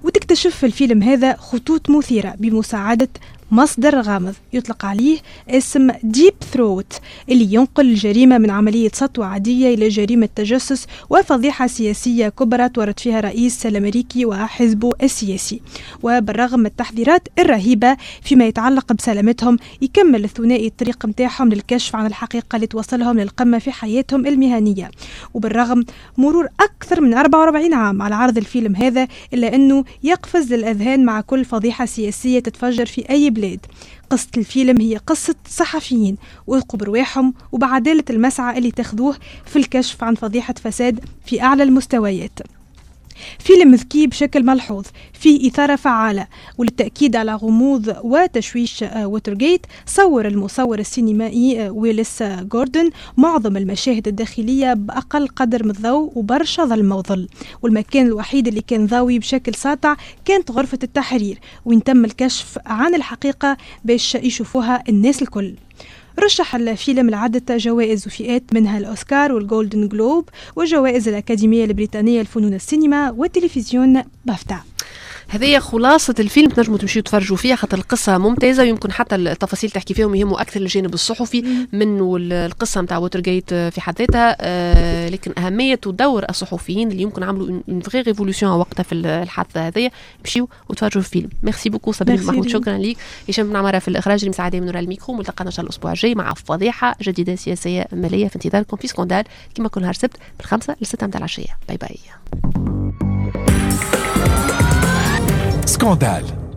وتكتشف في الفيلم هذا خطوط مثيرة بمساعدة مصدر غامض يطلق عليه اسم ديب ثروت، اللي ينقل الجريمة من عملية سطوة عادية إلى جريمة تجسس وفضيحة سياسية كبرى تورط فيها رئيس الأمريكي وحزبه السياسي. وبالرغم من التحذيرات الرهيبة فيما يتعلق بسلامتهم، يكمل الثنائي الطريق متاعهم للكشف عن الحقيقة اللي توصلهم للقمة في حياتهم المهنية. وبالرغم مرور أكثر من أربعة وأربعين عام على عرض الفيلم هذا، إلا أنه يقفز للأذهان مع كل فضيحة سياسية تتفجر في أي بلاد. قصة الفيلم هي قصة صحفيين وثقوا برواحهم وبعدالة المسعى اللي تاخذوه في الكشف عن فضيحة فساد في أعلى المستويات. فيلم ذكي بشكل ملحوظ، فيه إثارة فعالة، وللتأكيد على غموض وتشويش ووترغيت صور المصور السينمائي ويلس جوردن معظم المشاهد الداخلية بأقل قدر من الضوء وبرشا ظلمة وظل، والمكان الوحيد اللي كان ضاوي بشكل ساطع كانت غرفة التحرير، وين تم الكشف عن الحقيقة باش يشوفوها الناس الكل. رشح الفيلم لعدة جوائز وفئات، منها الأوسكار والجولدن جلوب وجوائز الأكاديمية البريطانية لفنون السينما والتلفزيون بافتا. هذه خلاصة الفيلم، تنجموا تمشيوا تفرجوا فيها خاطر القصة ممتازة، ويمكن حتى التفاصيل تحكي فيهم يهموا أكثر الجانب الصحفي منه القصة نتاع ووترغيت في حد ذاتها، آه لكن أهمية ودور الصحفيين اللي يمكن عملوا une vraie révolution وقتها في الحادثة هذه. مشيوا وتفرجوا في الفيلم. merci beaucoup صابرين محمود، شكرا ليك. هشام بن عمارة في الإخراج، المساعدة من وراء الميكرو. ملتقانا إن شاء الله الأسبوع الجاي مع فضيحة جديدة سياسية مالية في انتظاركم في Scandale كما كل نهار سبت من خمسة لستة متاع العشية. bye bye. Scandale.